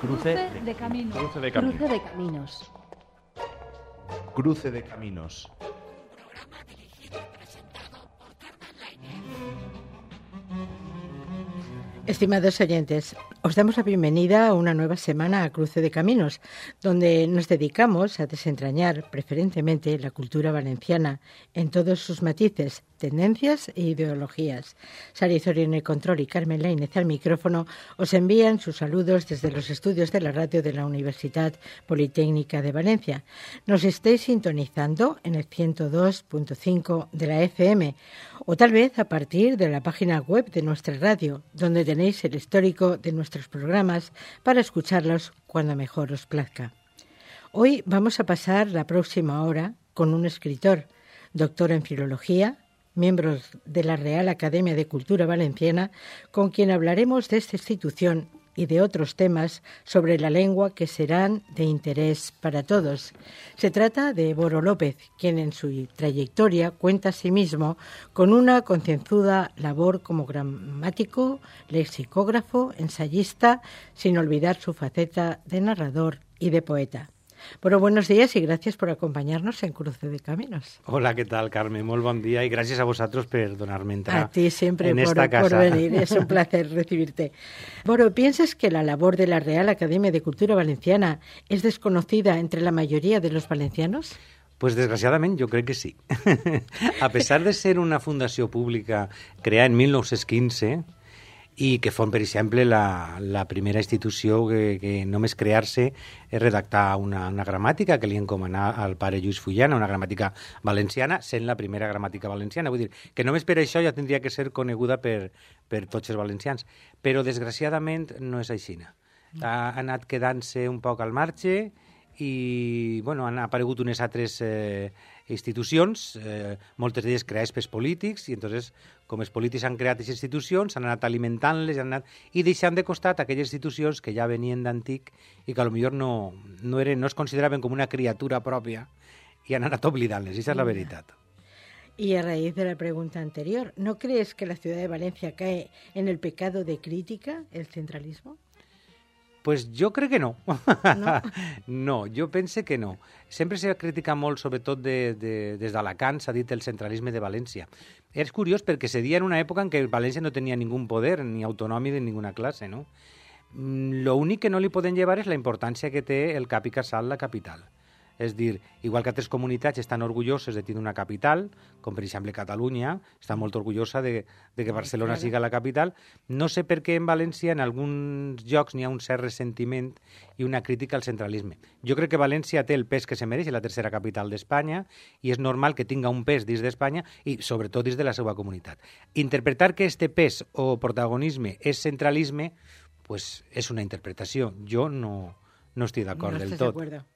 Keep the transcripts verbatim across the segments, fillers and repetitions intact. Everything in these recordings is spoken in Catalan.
Cruce de caminos. Cruce de caminos. Cruce de caminos. Cruce de caminos. Estimados oyentes, os damos la bienvenida a una nueva semana a Cruce de Caminos, donde nos dedicamos a desentrañar preferentemente la cultura valenciana en todos sus matices, tendencias e ideologías. Sara Izorio en el control y Carmen Lainez al micrófono os envían sus saludos desde los estudios de la radio de la Universidad Politécnica de Valencia. Nos estáis sintonizando en el ciento dos punto cinco de la F M o tal vez a partir de la página web de nuestra radio, donde tenéis el histórico de nuestros programas para escucharlos cuando mejor os plazca. Hoy vamos a pasar la próxima hora con un escritor, doctor en filología, miembro de la Real Academia de Cultura Valenciana, con quien hablaremos de esta institución y de otros temas sobre la lengua que serán de interés para todos. Se trata de Boro López, quien en su trayectoria cuenta a sí mismo con una concienzuda labor como gramático, lexicógrafo, ensayista, sin olvidar su faceta de narrador y de poeta. Bueno, buenos días y gracias por acompañarnos en Cruce de Caminos. Hola, ¿qué tal, Carmen? Muy buen día y gracias a vosotros por donarme entrar a ti siempre en por, esta casa. por venir, es un placer recibirte. Boro, ¿piensas que la labor de la Real Academia de Cultura Valenciana es desconocida entre la mayoría de los valencianos? Pues desgraciadament jo crec que sí. A pesar de ser una fundació pública creada en mil nou-cents quinze i que fon, per exemple, la, la primera institució que, que només crear-se és redactar una, una gramàtica que li encomanà al pare Lluís Fullana, una gramàtica valenciana, sent la primera gramàtica valenciana. Vull dir que només per això ja tindria que ser coneguda per, per tots els valencians. Però, desgraciadament, no és així. Ha anat quedant-se un poc al marge i bueno, han aparegut unes altres eh, institucions, eh, moltes d'elles creades pels polítics, i entonces, com els polítics han creat aquestes institucions, han anat alimentant-les han anat, i deixant de costat aquelles institucions que ja venien d'antic i que potser no, no, eren, no es consideraven com una criatura pròpia i han anat oblidant-les, i això és la veritat. Y a raíz de la pregunta anterior, ¿no crees que la ciudad de Valencia cae en el pecado de crítica, el centralismo? Pues jo crec que no. No? No, jo pense que no. Sempre s'ha criticat molt, sobretot de, de, des d'Alacant, s'ha dit el centralisme de València. És curiós perquè se dia en una època en què València no tenia ningú poder, ni autonòmic de ninguna classe, no? L'únic que no li poden llevar és la importància que té el cap i casal la capital. És dir, igual que altres comunitats estan orgulloses de tenir una capital, com per exemple Catalunya, està molt orgullosa de, de que Barcelona siga la capital, no sé per què en València en alguns llocs n'hi ha un cert ressentiment i una crítica al centralisme. Jo crec que València té el pes que se mereix, la tercera capital d'Espanya, i és normal que tinga un pes dins d'Espanya i sobretot dins de la seva comunitat. Interpretar que este pes o protagonisme és centralisme, pues és una interpretació. Jo no, no estic d'acord no del tot. tot.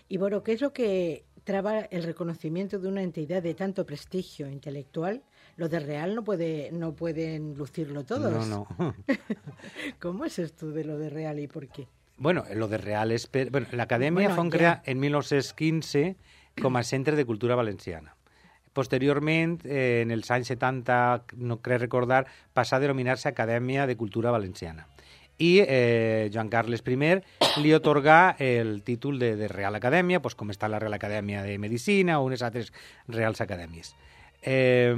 Y Boro, ¿qué es lo que traba el reconocimiento de una entidad de tanto prestigio intelectual? Lo de Real no puede no pueden lucirlo todos. No, no. ¿Cómo es esto de lo de Real y por qué? Bueno, lo de Real és... Per... Bueno, l'Acadèmia bueno, fon ja. crear en mil nou-cents quinze com a centre de cultura valenciana. Posteriorment, eh, en els anys setanta, no crec recordar, passà a denominar-se Acadèmia de Cultura Valenciana. I eh, Joan Carles I li atorgà el títol de, de Real Acadèmia, pues, com està la Real Acadèmia de Medicina o unes altres Reals Acadèmies. Eh,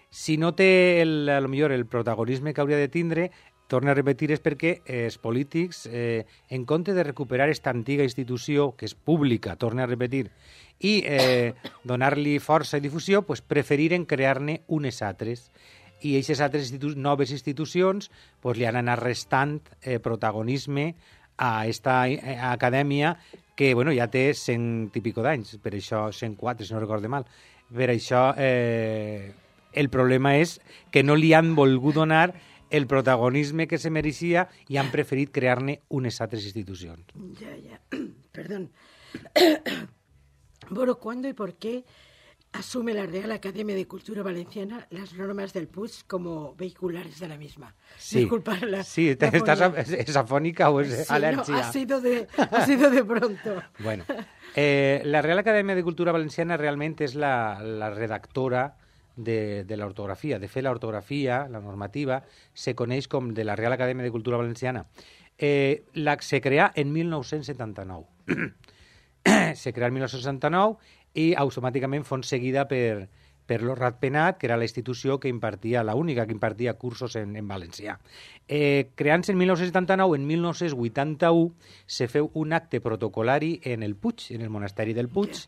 si no té, el, a lo millor, el protagonisme que hauria de tindre, torno a repetir, és perquè els polítics, eh, en compte de recuperar aquesta antiga institució, que és pública, torno a repetir, i eh, donar-li força i difusió, pues, preferiren crear-ne unes altres. I aquestes altres institu- noves institucions pues, li han anat restant eh, protagonisme a aquesta eh, acadèmia que bueno, ja té cent i pico d'anys, per això cent quatre, si no recordo mal. Per això eh, el problema és que no li han volgut donar el protagonisme que se mereixia i han preferit crear-ne unes altres institucions. Ya, ya. Perdón. Boro, ¿cuándo y por qué asume la Real Academia de Cultura Valenciana las normas del P U S como vehiculares de la misma? Sí, Disculpa la, sí, la ¿estás fonía. ¿es afónica o es Sí, alergia? no, ha sido de, ha sido de pronto. Bueno, eh, la Real Acadèmia de Cultura Valenciana realment és la, la redactora de, de l'ortografia. De fet, l'ortografia, la normativa, se coneix com de la Real Acadèmia de Cultura Valenciana. Eh, la, se crea en mil nou-cents setanta-nou. Se crea en mil nou-cents setanta-nou i automàticament fon seguida per, per lo Ratpenat, que era la institució que impartia, la única que impartia cursos en, en valencià. Eh, creant-se en mil nou-cents setanta-nou, en mil nou-cents vuitanta-u se feu un acte protocolari en el Puig, en el monasteri del Puig,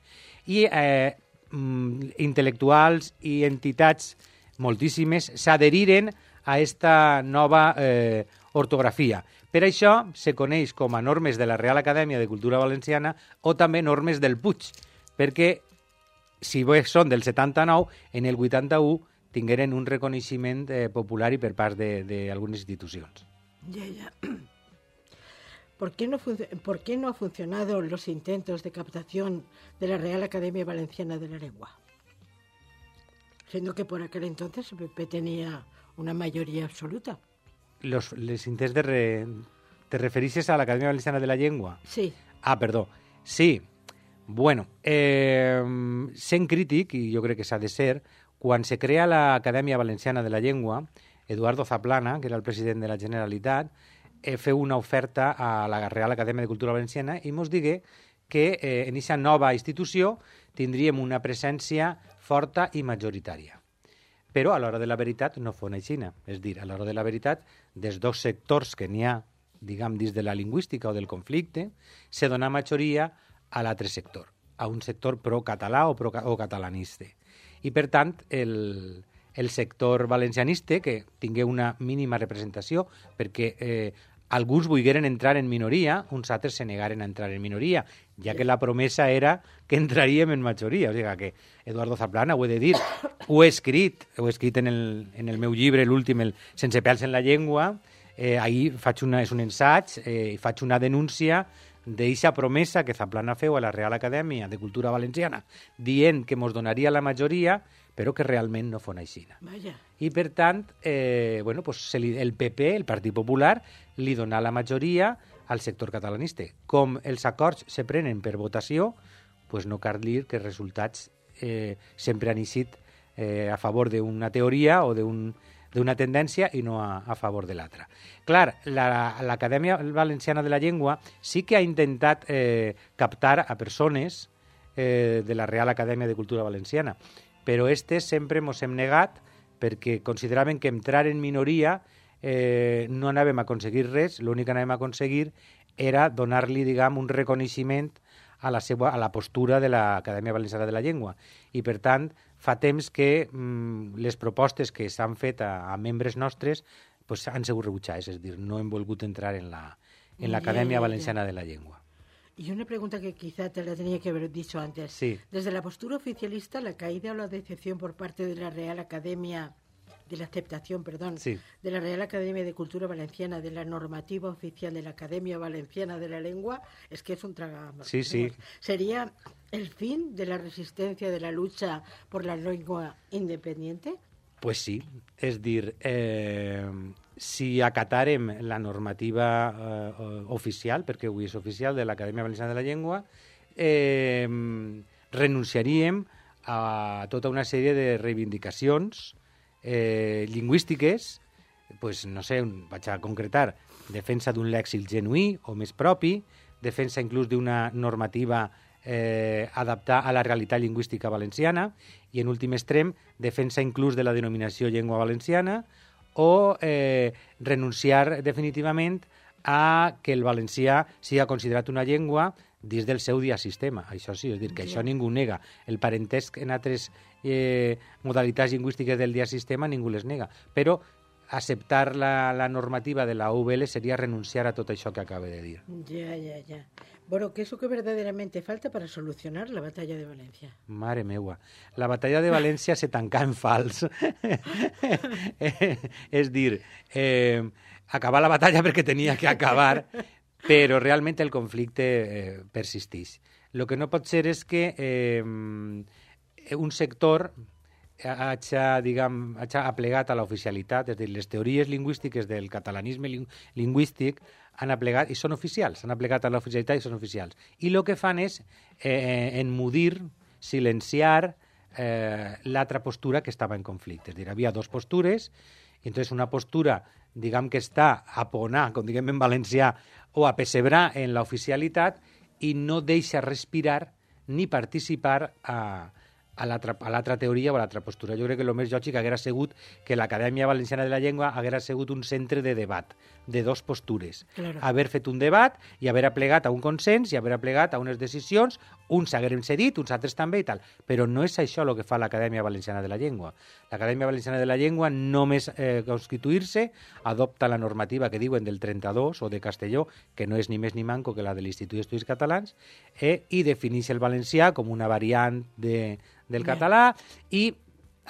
i eh, mm, intel·lectuals i entitats moltíssimes s'adheriren a esta nova eh, ortografia. Per això se coneix com a normes de la Real Acadèmia de Cultura Valenciana o també normes del Puig, perquè si bé són del setanta-nou, en el vuitanta-u tingueren un reconeixement eh, popular i per part d'algunes institucions. Ya, ya. ¿Por qué, no ¿Por qué no ha funcionado los intentos de captación de la Real Academia Valenciana de la Lengua? Siendo que por aquel entonces el P P tenía una mayoría absoluta. Los, les intents de... Re... ¿Te referixes a l'Acadèmia Valenciana de la Llengua? Sí. Ah, perdó. Sí. Bueno, eh, sent crític, i jo crec que s'ha de ser, quan se crea l'Acadèmia Valenciana de la Llengua, Eduardo Zaplana, que era el president de la Generalitat, eh, feu una oferta a la Real Acadèmia de Cultura Valenciana i mos digué que eh, en aquesta nova institució tindríem una presència forta i majoritària. Però a l'hora de la veritat no fos així. És dir, a l'hora de la veritat, dels dos sectors que n'hi ha, diguem, dins de la lingüística o del conflicte, se dona majoria a l'altre sector, a un sector pro-català o, pro o catalanista. I, per tant, el, el sector valencianista, que tingué una mínima representació, perquè eh, alguns volgueren entrar en minoria, uns altres se negaren a entrar en minoria, ja que la promesa era que entraríem en majoria. O sigui que Eduardo Zaplana, ho he de dir, ho he escrit, ho he escrit en el, en el meu llibre, l'últim, el Sense pèls en la llengua, eh, ahir faig una, és un ensaig, eh, faig una denúncia d'eixa promesa que Zaplana feu a la Real Acadèmia de Cultura Valenciana, dient que mos donaria la majoria, però que realment no fos així. Vaya. I, per tant, eh, bueno, pues se li, el P P, el Partit Popular, li dona la majoria al sector catalanista. Com els acords se prenen per votació, pues no cal dir que els resultats eh, sempre han eixit eh, a favor d'una teoria o d'un d'una tendència i no a, a favor de l'altra. Clar, l'Acadèmia la, Valenciana de la Llengua sí que ha intentat eh, captar a persones eh, de la Real Acadèmia de Cultura Valenciana, però estes sempre mos hem negat perquè consideraven que entrar en minoria eh, no anàvem a aconseguir res, l'únic que anàvem a aconseguir era donar-li, diguem, un reconeixement a la, seva, a la postura de l'Acadèmia Valenciana de la Llengua. I, per tant, fa temps que mm, les propostes que s'han fet a, a membres nostres pues, han sigut rebutjades, és a dir, no hem volgut entrar en la en l'Acadèmia yeah, Valenciana yeah. de la Llengua. Y una pregunta que quizá te la tenía que haber dicho antes. Sí. Desde la postura oficialista, la caída o la decepción por parte de la Real Academia, de la aceptación, perdón, sí. de la Real Academia de Cultura Valenciana, de la normativa oficial de la Academia Valenciana de la Lengua, es que es un traga... Sí, sí. ¿Sería el fin de la resistencia, de la lucha por la lengua independiente? Pues sí, és dir, eh, si acatarem la normativa eh, oficial, perquè avui és oficial, de l'Acadèmia Valenciana de la Llengua, eh, renunciaríem a tota una sèrie de reivindicacions eh, lingüístiques, pues, no sé, vaig a concretar, defensa d'un lèxic genuí o més propi, defensa inclús d'una normativa eh, adaptar a la realitat lingüística valenciana i, en últim extrem, defensa inclús de la denominació llengua valenciana o eh, renunciar definitivament a que el valencià sigui considerat una llengua dins del seu diasistema. Això sí, és dir, que això ningú nega. El parentesc en altres eh, modalitats lingüístiques del diasistema ningú les nega. Però aceptar la, la normativa de la U V L sería renunciar a todo eso que acabé de decir. Ya, ya, ya. Bueno, ¿qué es lo que verdaderamente falta para solucionar la batalla de Valencia? Mare meua. La batalla de València se tancà en fals. És dir, eh, acabar la batalla perquè tenia que acabar, però realment el conflicte eh, persisteix. El que no pot ser és que eh, un sector hagi, diguem, hagi aplegat a l'oficialitat, és a dir, les teories lingüístiques del catalanisme ling lingüístic han aplegat, i són oficials, han aplegat a l'oficialitat i són oficials. I el que fan és eh, enmudir, silenciar eh, l'altra postura que estava en conflicte. És a dir, havia dues postures I entonces una postura, diguem que està a ponar, com diguem en valencià, o a pessebrar en l'oficialitat i no deixa respirar ni participar a, a l'altra teoria o a l'altra postura. Jo crec que el més lògic haguera sigut que l'Acadèmia Valenciana de la Llengua haguera sigut un centre de debat, de dos postures. Claro. Haver fet un debat i haver aplegat a un consens i haver aplegat a unes decisions, uns hagueren cedit, uns altres també i tal. Però no és això el que fa l'Acadèmia Valenciana de la Llengua. L'Acadèmia Valenciana de la Llengua, només eh, constituir-se, adopta la normativa que diuen del trenta-dos o de Castelló, que no és ni més ni manco que la de l'Institut d'Estudis Catalans, eh, i defineix el valencià com una variant de, del català i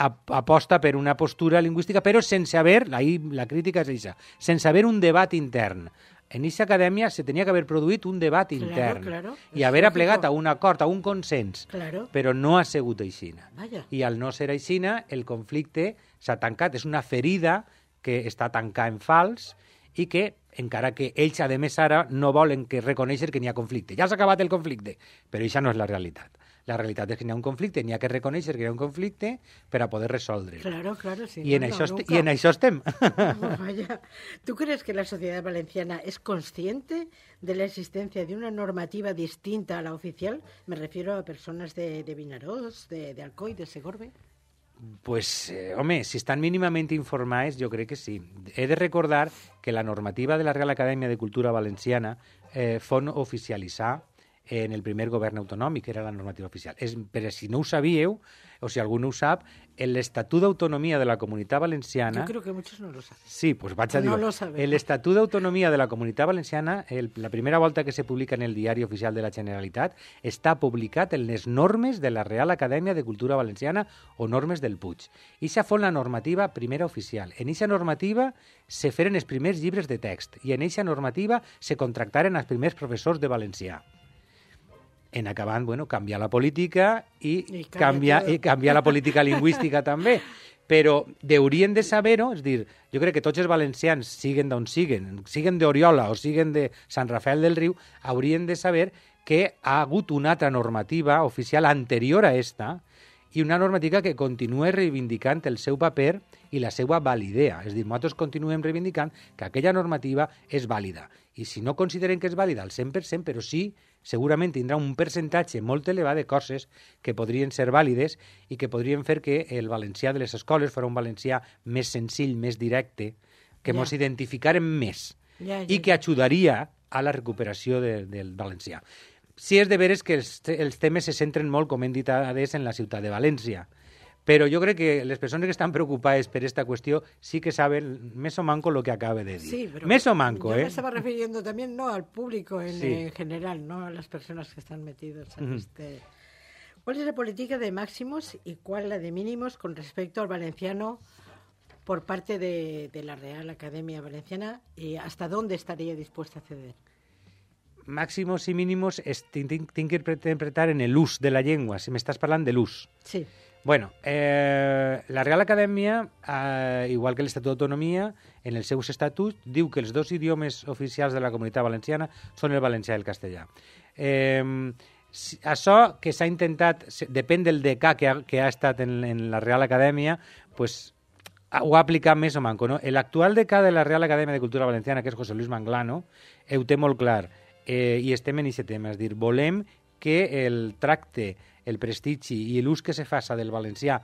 aposta per una postura lingüística, però sense haver, ahí la crítica és això, sense haver un debat intern. En aquesta acadèmia se tenia que haver produït un debat Claro, intern claro. i És haver lògico. aplegat a un acord, a un consens, Claro. però no ha sigut aixina. Vaja. I al no ser aixina, el conflicte s'ha tancat. És una ferida que està tancada en fals i que, encara que ells, a més, ara no volen que reconèixer que n'hi ha conflicte. Ja s'ha acabat el conflicte, però això no és la realitat. La realitat és que n'hi ha un conflicte, n'hi ha que reconèixer que hi ha un conflicte per a poder resoldre'l. Claro, claro, sí. I, en no, això no, est- nunca. I en això estem. Oh, vaya. ¿Tú crees que la sociedad valenciana es consciente de la existencia de una normativa distinta a la oficial? Me refiero a personas de, de Vinaròs, de, de Alcoi, de Segorbe. Pues, eh, home, si estan mínimament informats, jo crec que sí. He de recordar que la normativa de la Real Acadèmia de Cultura Valenciana eh, fon oficialitzar en el primer govern autonòmic, que era la normativa oficial. És, però si no ho sabíeu, o si algú no ho sap, l'Estatut d'Autonomia de la Comunitat Valenciana... Yo creo que muchos no lo saben. Sí, pues vaig a No dir-ho. lo sabem. L'Estatut d'Autonomia de la Comunitat Valenciana, el, la primera volta que se publica en el Diari Oficial de la Generalitat, està publicat en les normes de la Real Acadèmia de Cultura Valenciana o normes del Puig. Ixa fou la normativa primera oficial. En ixa normativa se feren els primers llibres de text i en ixa normativa se contractaren els primers professors de valencià. En acabant, bueno, canviar la política i, I canvia canviar, tot. i canviar la política lingüística també. Però haurien de saber-ho, és dir, jo crec que tots els valencians, siguen d'on siguen, siguen d'Oriola o siguen de Sant Rafael del Riu, haurien de saber que ha hagut una altra normativa oficial anterior a esta i una normativa que continua reivindicant el seu paper i la seva validea. És dir, nosaltres continuem reivindicant que aquella normativa és vàlida. I si no consideren que és vàlida al cent per cent, però sí, segurament tindrà un percentatge molt elevat de coses que podrien ser vàlides i que podrien fer que el valencià de les escoles fos un valencià més senzill, més directe, que Ja. mos identificarem més Ja, ja, i que ajudaria a la recuperació de, del valencià. Sí és de veres que els, te- els temes se centren molt, com hem dit adés, en la ciutat de València. Però jo crec que les persones que estan preocupades per esta qüestió sí que saben més o manco lo que acaba de dir. Sí, pero més o manco, yo eh? me estaba refiriendo también no al público en, Sí. en general, no a las personas que están metidos en Ujú. este. ¿Cuál es la política de máximos y cuál la de mínimos con respecto al valenciano por parte de, de la Real Academia Valenciana y hasta dónde estaría dispuesta a ceder? Màximos i mínimos es, tinc, tinc, tinc que interpretar en l'ús de la llengua, si m'estàs parlant de l'ús. Sí. Bueno, eh, la Real Acadèmia, eh, igual que l'Estatut d'Autonomia, en els seus estatuts, diu que els dos idiomes oficials de la Comunitat Valenciana són el valencià i el castellà. Eh, si, això que s'ha intentat, se- depèn del decà que ha, que ha estat en, en la Real Acadèmia, pues, ha- ho ha aplicat més o manco. No? L'actual decà de la Real Acadèmia de Cultura Valenciana, que és José Luis Manglano, ho té molt clar, eh, i estem en aquest tema, és dir, volem que el tracte, el prestigi i l'ús que se faça del valencià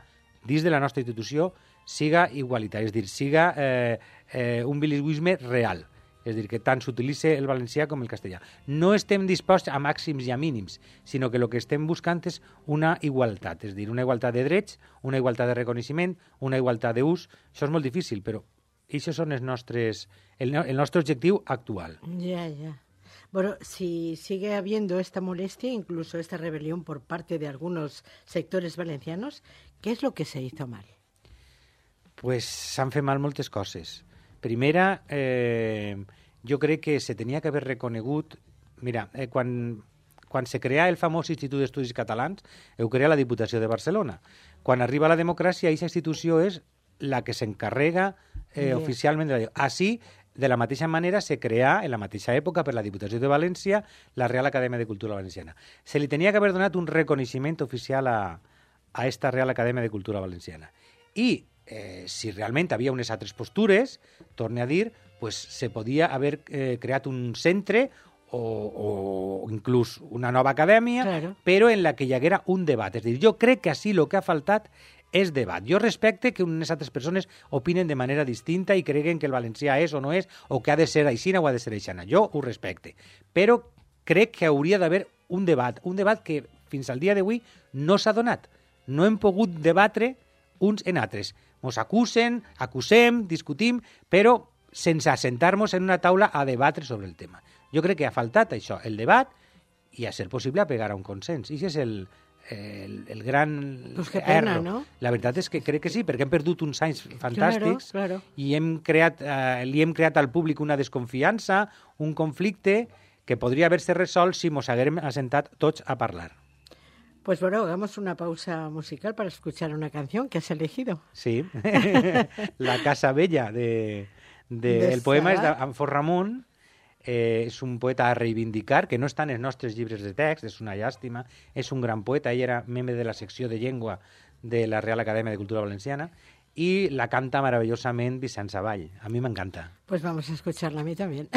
dins de la nostra institució siga igualitari, és dir, siga eh, eh, un bilingüisme real, és dir, que tant s'utilitzi el valencià com el castellà. No estem disposats a màxims i a mínims, sinó que el que estem buscant és una igualtat, és dir, una igualtat de drets, una igualtat de reconeixement, una igualtat d'ús. Això és molt difícil, però això són els nostres, el, no- el nostre objectiu actual. Ya, ya. Bueno, si sigue habiendo esta molestia, incluso esta rebelión por parte de algunos sectores valencianos, ¿qué es lo que se hizo mal? Pues s'han fet mal moltes coses. Primera, eh, jo crec que se tenia que haver reconegut... Mira, eh, quan, quan se crea el famós Institut d'Estudis Catalans, ho crea la Diputació de Barcelona. Quan arriba la democràcia, aquesta institució és la que s'encarrega eh, Bien. oficialment de la llei. Així, de la mateixa manera, se crea, en la mateixa època, per la Diputació de València, la Real Acadèmia de Cultura Valenciana. Se li tenia que haver donat un reconeixement oficial a, a esta Real Acadèmia de Cultura Valenciana. I eh, si realment havia unes altres postures, torne a dir, pues, se podia haver eh, creat un centre o, o inclús una nova acadèmia, Claro. però en la que hi haguera un debat. És a dir, jo crec que així el que ha faltat és debat. Jo respecte que unes altres persones opinen de manera distinta i creguen que el valencià és o no és, o que ha de ser aixina o ha de ser aixana. Jo ho respecte. Però crec que hauria d'haver un debat, un debat que fins al dia d'avui no s'ha donat. No hem pogut debatre uns en altres. Mos acusen, acusem, discutim, però sense assentar-nos en una taula a debatre sobre el tema. Jo crec que ha faltat això, el debat, i a ser possible a pegar a un consens. I això és el, el, el gran Pues qué pena, erro. ¿no? La veritat és que crec que sí, perquè hem perdut uns anys fantàstics Claro, claro. i hem creat, eh, li hem creat al públic una desconfiança, un conflicte que podria haver-se resolt si mos haguérem assentat tots a parlar. Pues bueno, hagamos una pausa musical para escuchar una canción que has elegido. Sí, La Casa Bella, de, de, De el poema és Sabat. d'Anfor Ramon, eh, és un poeta a reivindicar, que no està en els nostres llibres de text, és una llàstima, és un gran poeta, ell era membre de la secció de llengua de la Real Acadèmia de Cultura Valenciana, i la canta meravellosament Vicent Savall. A mi m'encanta. Pues vamos a escucharla a mí también.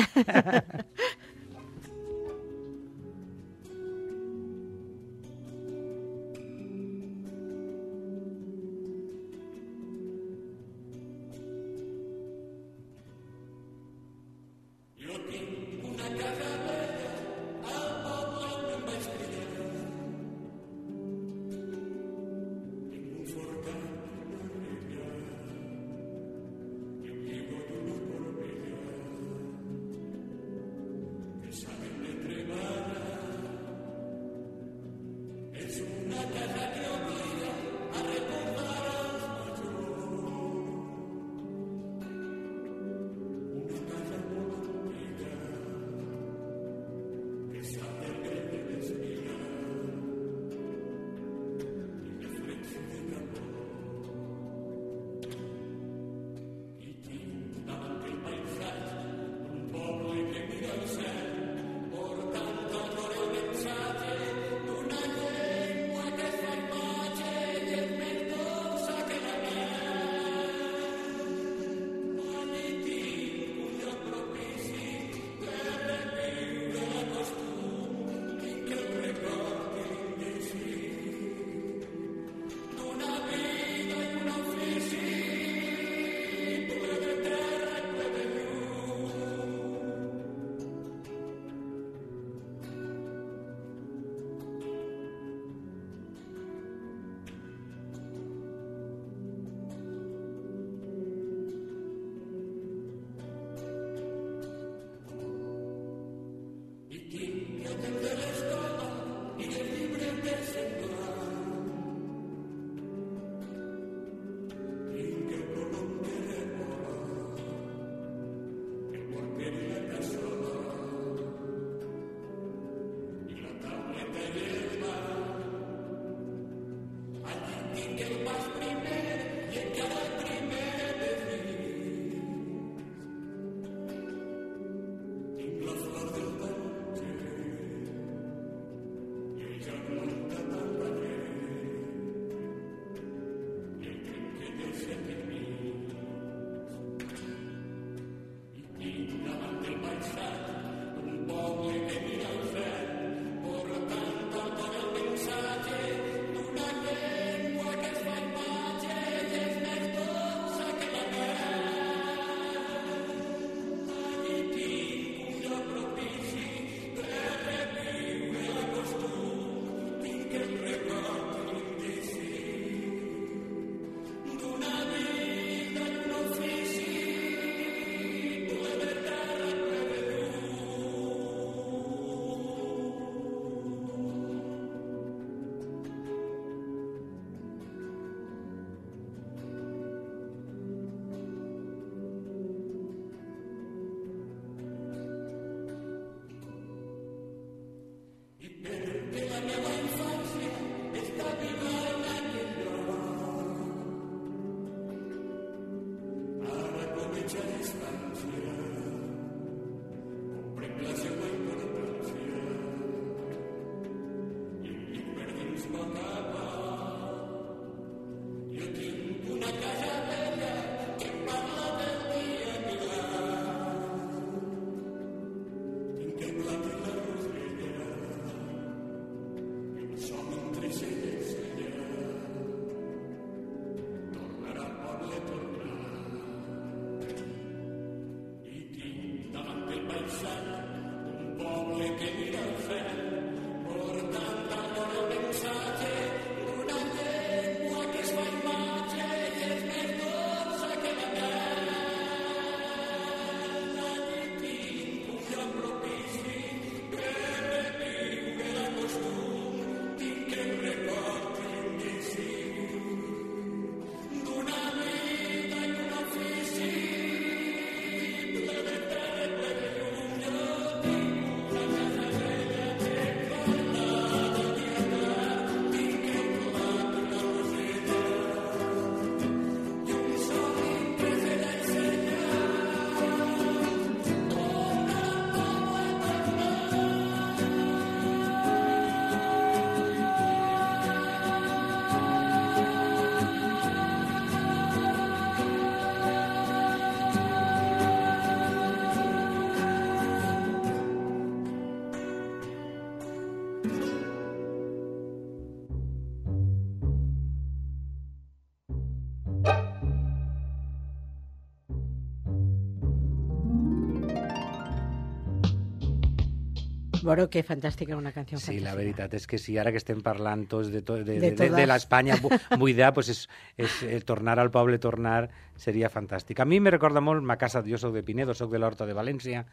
Boro, que fantàstica, una canció Sí, fantàstica. la veritat és que sí, ara que estem parlant tots de, to, de, De de, de, de todas. l'Espanya bu- buida, pues és, és, eh, tornar al poble, tornar, seria fantàstic. A mi me recorda molt ma casa, jo soc de Pinedo, soc de l'Horta de València,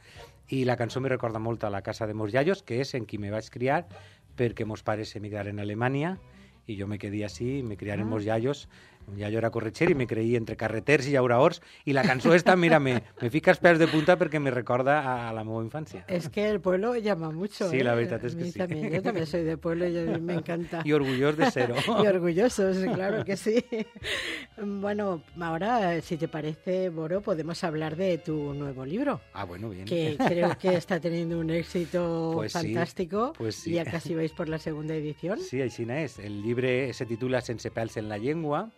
i la cançó me recorda molt a la casa de Mos Yayos, que és en qui me vaig criar, perquè mos pares emigraren a Alemanya, i jo me quedé així, me criaren Ah. Mos Yayos. Un iaio era corretxer i me creí entre carreters i llauraors, i la cançó esta, mira, me, me fica els pèls de punta perquè me recorda a, a la meva infància. Es que el pueblo llama mucho. Sí, ¿eh? la verdad es A que mí sí. También. Yo también soy de pueblo y a mí me encanta. Y orgullosos de ser. Y orgullosos, claro que sí. Bueno, ahora, si te parece, Boro, podemos hablar de tu nuevo libro, Ah, bueno, bien. que creo que está teniendo un éxito Pues sí, fantástico. pues sí. Y ya casi vais por la segunda edición. Sí, així és. El llibre se titula Sense pèls en la llengua.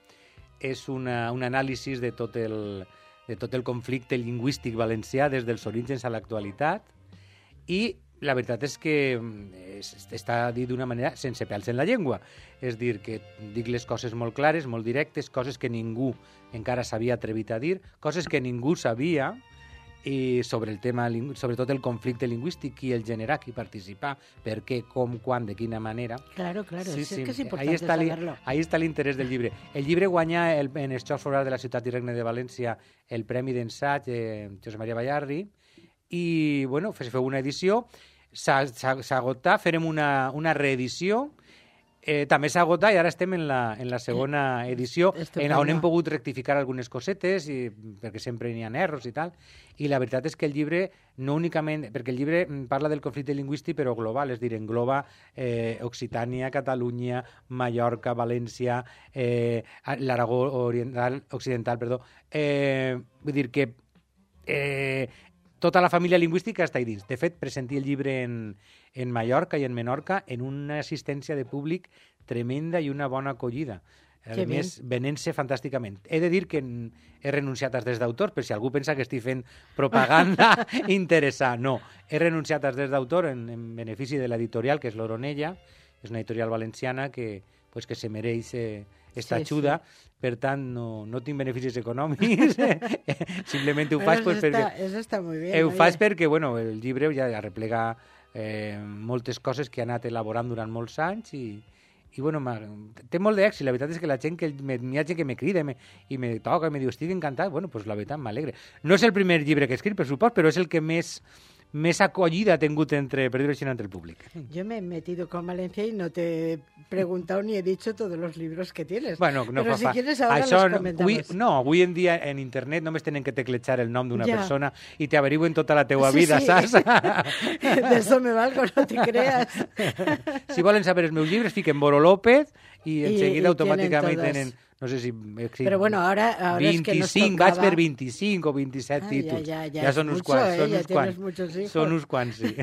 És una, un anàlisi de tot, el, de tot el conflicte lingüístic valencià des dels orígens a l'actualitat, i la veritat és que és, està dit d'una manera sense pèls en la llengua. És dir, que dic les coses molt clares, molt directes, coses que ningú encara s'havia atrevit a dir, coses que ningú sabia, i sobre el tema, sobretot el conflicte lingüístic, qui el generar, qui participar, per què, com, quan, de quina manera. Claro, claro, Sí, es sí, que es ahí importante està li- saberlo. Ahí està l'interès del llibre. El llibre guanya el, en els Jocs Florals de la Ciutat i Regne de València el Premi d'Ensaig eh, Josep Maria Ballarri, i bueno, se feu una edició, s'agotà, farem una, una reedició, eh, també s'ha agotat i ara estem en la, en la segona edició, en on hem pogut rectificar algunes cosetes, i, perquè sempre n'hi ha erros i tal, i la veritat és que el llibre, no únicament, perquè el llibre parla del conflicte lingüístic, però global, és dir, engloba eh, Occitània, Catalunya, Mallorca, València, eh, l'Aragó oriental, occidental, perdó, eh, vull dir que eh, tota la família lingüística està ahí dins. De fet, presenti el llibre en, en Mallorca i en Menorca en una assistència de públic tremenda i una bona acollida. A Que més, venent-se fantàsticament. He de dir que he renunciat als drets d'autor, per si algú pensa que estic fent propaganda interessant. No, he renunciat als drets d'autor en, en benefici de l'editorial, que és l'Oronella, és una editorial valenciana que, pues, que se mereix eh, esta Sí, ajuda. sí. Per tant, no, no tinc beneficis econòmics, simplement ho Bueno, faig eso, pues, está, perquè... eso está muy bien. Ho oye. faig perquè, bueno, el llibre ja arreplega eh, moltes coses que he anat elaborant durant molts anys i, i bueno, té molt d'èxit. La veritat és que la gent que me, hi ha gent que me crida i me, i me toca i me diu, estic encantat. Bueno, pues la veritat m'alegre. No és el primer llibre que he escrit, per supost, però és el que més, més acollida ha tingut entre, per dir-ho així, entre el públic. Yo me he metido con Valencia y no te he preguntado ni he dicho todos los libros que tienes. Bueno, no Pero fa si fa. quieres ahora Això, los comentamos. Avui, no, avui en dia en internet només tenen que teclejar el nom d'una Ja. persona i t'averigüen tota la teua Sí, vida, sí. saps? De eso me valgo, no te creas. Si volen saber els meus llibres, fiquen Boro López i en I- seguida i automàticament tienen tenen, todas. no sé si... he escrit Pero bueno, ahora, ahora es que nos vint-i-cinc, tocaba... vaig per vint-i-cinc o vint-i-set Ah, títols. ya, ya, ya, ja es són uns mucho, quants, eh, són ya uns tienes quants. muchos hijos. Són uns quants, sí.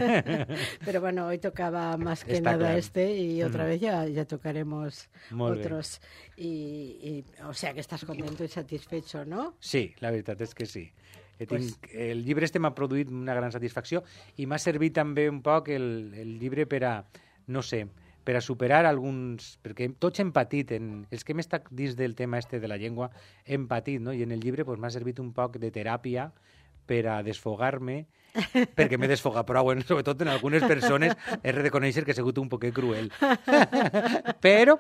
Pero bueno, hoy tocaba más que Está nada claro. este y otra Mm. vez ya, ya tocaremos Molt bé. otros. Y, y, o sea que estás contento y satisfecho, ¿no? Sí, la veritat és que sí. He Pues- tinc, el llibre este m'ha produït una gran satisfacció i m'ha servit també un poc el, el llibre per a, no sé, per a superar alguns... Perquè tots hem patit, en, els que hem estat dins del tema este de la llengua, hem patit, no? I en el llibre pues, m'ha servit un poc de teràpia per a desfogar-me, perquè m'he desfogat prou, en, sobretot en algunes persones, he de reconèixer que he sigut un poquet cruel. però,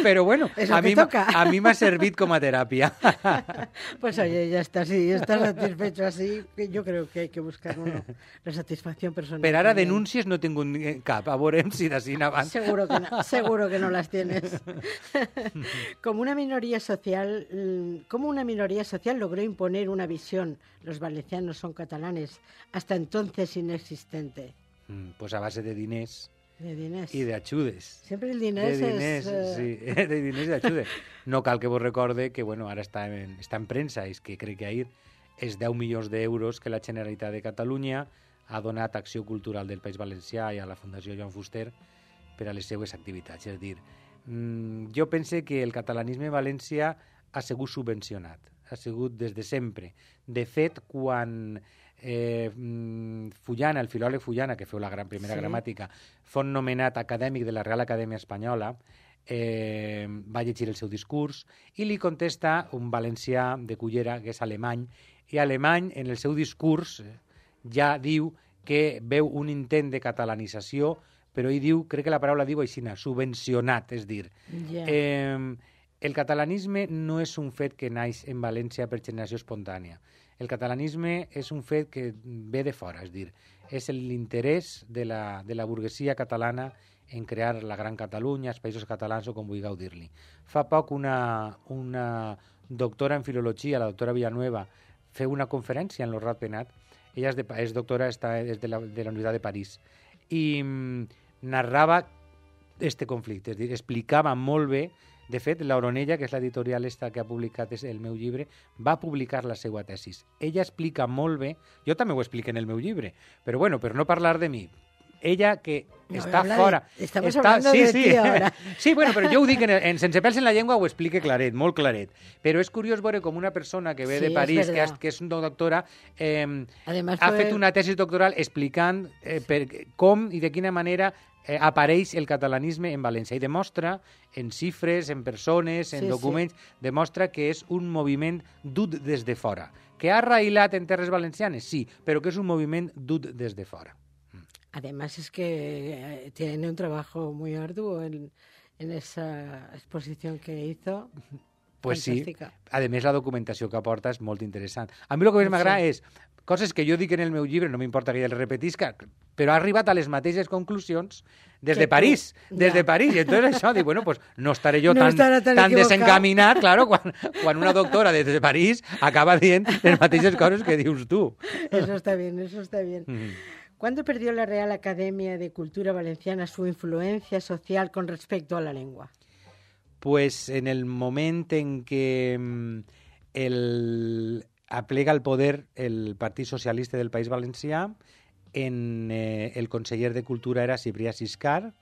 però bueno, Es lo a que mi, m'ha- toca. a mi m'ha servit com a teràpia. Pues oye, ya está, si estás satisfecho así, que yo creo que hay que buscar uno, la satisfacción personal. Per ara también. denúncies no tinc un, cap, a veurem si d'ací en avant. Seguro que no, seguro que no las tienes. Como una minoría social, mm, ¿cómo una minoría social logró imponer una visión? Los valencianos son catalanes, hasta entonces inexistente. Mm, pues a base de diners De diners. i d'ajudes. Siempre el De diners, diners, es... eh, sí, de diners i d'ajudes. No cal que vos recorde que, bueno, ara està en, està en premsa, és que crec que ahir és deu milions d'euros que la Generalitat de Catalunya ha donat a Acció Cultural del País Valencià i a la Fundació Joan Fuster per a les seues activitats. És a dir, mm, jo pense que el catalanisme a València ha sigut subvencionat, ha sigut des de sempre. De fet, quan eh, mm, Fullana, el filòleg Fullana, que feu la gran primera Sí. gramàtica, fou nomenat acadèmic de la Real Acadèmia Espanyola, eh, va llegir el seu discurs i li contesta un valencià de Cullera, que és alemany, i alemany, en el seu discurs, eh, ja diu que veu un intent de catalanització, però ell diu, crec que la paraula diu així, subvencionat, és dir, Ya. eh, el catalanisme no és un fet que naix en València per generació espontània. El catalanisme és un fet que ve de fora, és dir, és l'interès de la, de la burguesia catalana en crear la Gran Catalunya, els països catalans o com vulgueu dir-li. Fa poc una, una doctora en filologia, la doctora Villanueva, feu una conferència en el Ratpenat. Ella és, de, és doctora, està, és de la, de la Universitat de París, i mm, narrava este conflicte, és dir, explicava molt bé. De fet, l'Oronella, que és l'editorial esta que ha publicat el meu llibre, va publicar la seva tesis. Ella explica molt bé, jo també ho explico en el meu llibre, però bueno, per no parlar de mi, ella que No, està habla de- fora... estamos està, hablando sí, de sí. ti ahora. Sí, bueno, però jo ho dic en, en Sense pèls en la llengua, ho explique claret, molt claret. Però és curiós veure com una persona que ve Sí, de és París, que, verdad. és, que és una doctora, eh, Además ha fue- fet una tesis doctoral explicant eh, per, com i de quina manera eh, apareix el catalanisme en València i demostra en xifres, en persones, en Sí, documents, demostra que és un moviment dut des de fora. Que ha arrailat en terres valencianes, sí, però que és un moviment dut des de fora. Además es que eh, tiene un trabajo muy arduo en, en esa exposición que hizo. Pues Fantàstica. sí, a més la documentació que aporta és molt interessant. A mi el que més Sí. m'agrada és coses que jo dic en el meu llibre, no m'importa que ella les repetisca, però ha arribat a les mateixes conclusions des Que de París, tu, des ja. de París. I entonces això, dic, bueno, pues no estaré jo No tan, estarà tan tan equivocat. desencaminat, claro, quan, quan una doctora des de París acaba dient les mateixes coses que dius tu. Eso está bien, eso está bien. Mm. ¿Cuándo perdió la Real Academia de Cultura Valenciana su influencia social con respecto a la lengua? Pues en el moment en què mm, el, aplega el poder el Partit Socialista del País Valencià, en, eh, el conseller de Cultura era Ciprià Siscar,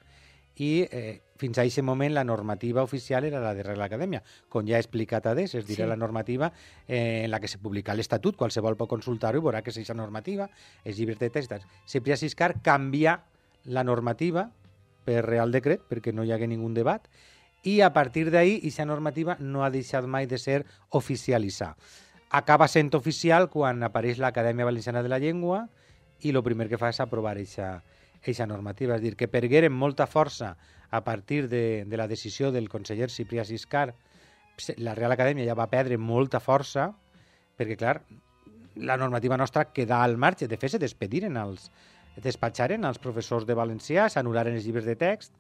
i eh, fins a aquest moment la normativa oficial era la de Real Acadèmia, com ja he explicat a des, és dir, Sí. la normativa eh, en la que se publica l'Estatut, qualsevol pot consultar-ho i veurà que és aquesta normativa, els llibres de textos. Ciprià Siscar canvia la normativa per Real Decret, perquè no hi hagué ningú debat, i a partir d'ahí, aquesta normativa no ha deixat mai de ser oficialitzada. Acaba sent oficial quan apareix l'Acadèmia Valenciana de la Llengua i el primer que fa és aprovar aquesta normativa. És dir, que pergueren molta força a partir de, de la decisió del conseller Ciprià Siscar. La Real Acadèmia ja va perdre molta força perquè, clar, la normativa nostra queda al marge. De fet, se despediren els, despatxaren els professors de valencià, s'anul·laren els llibres de text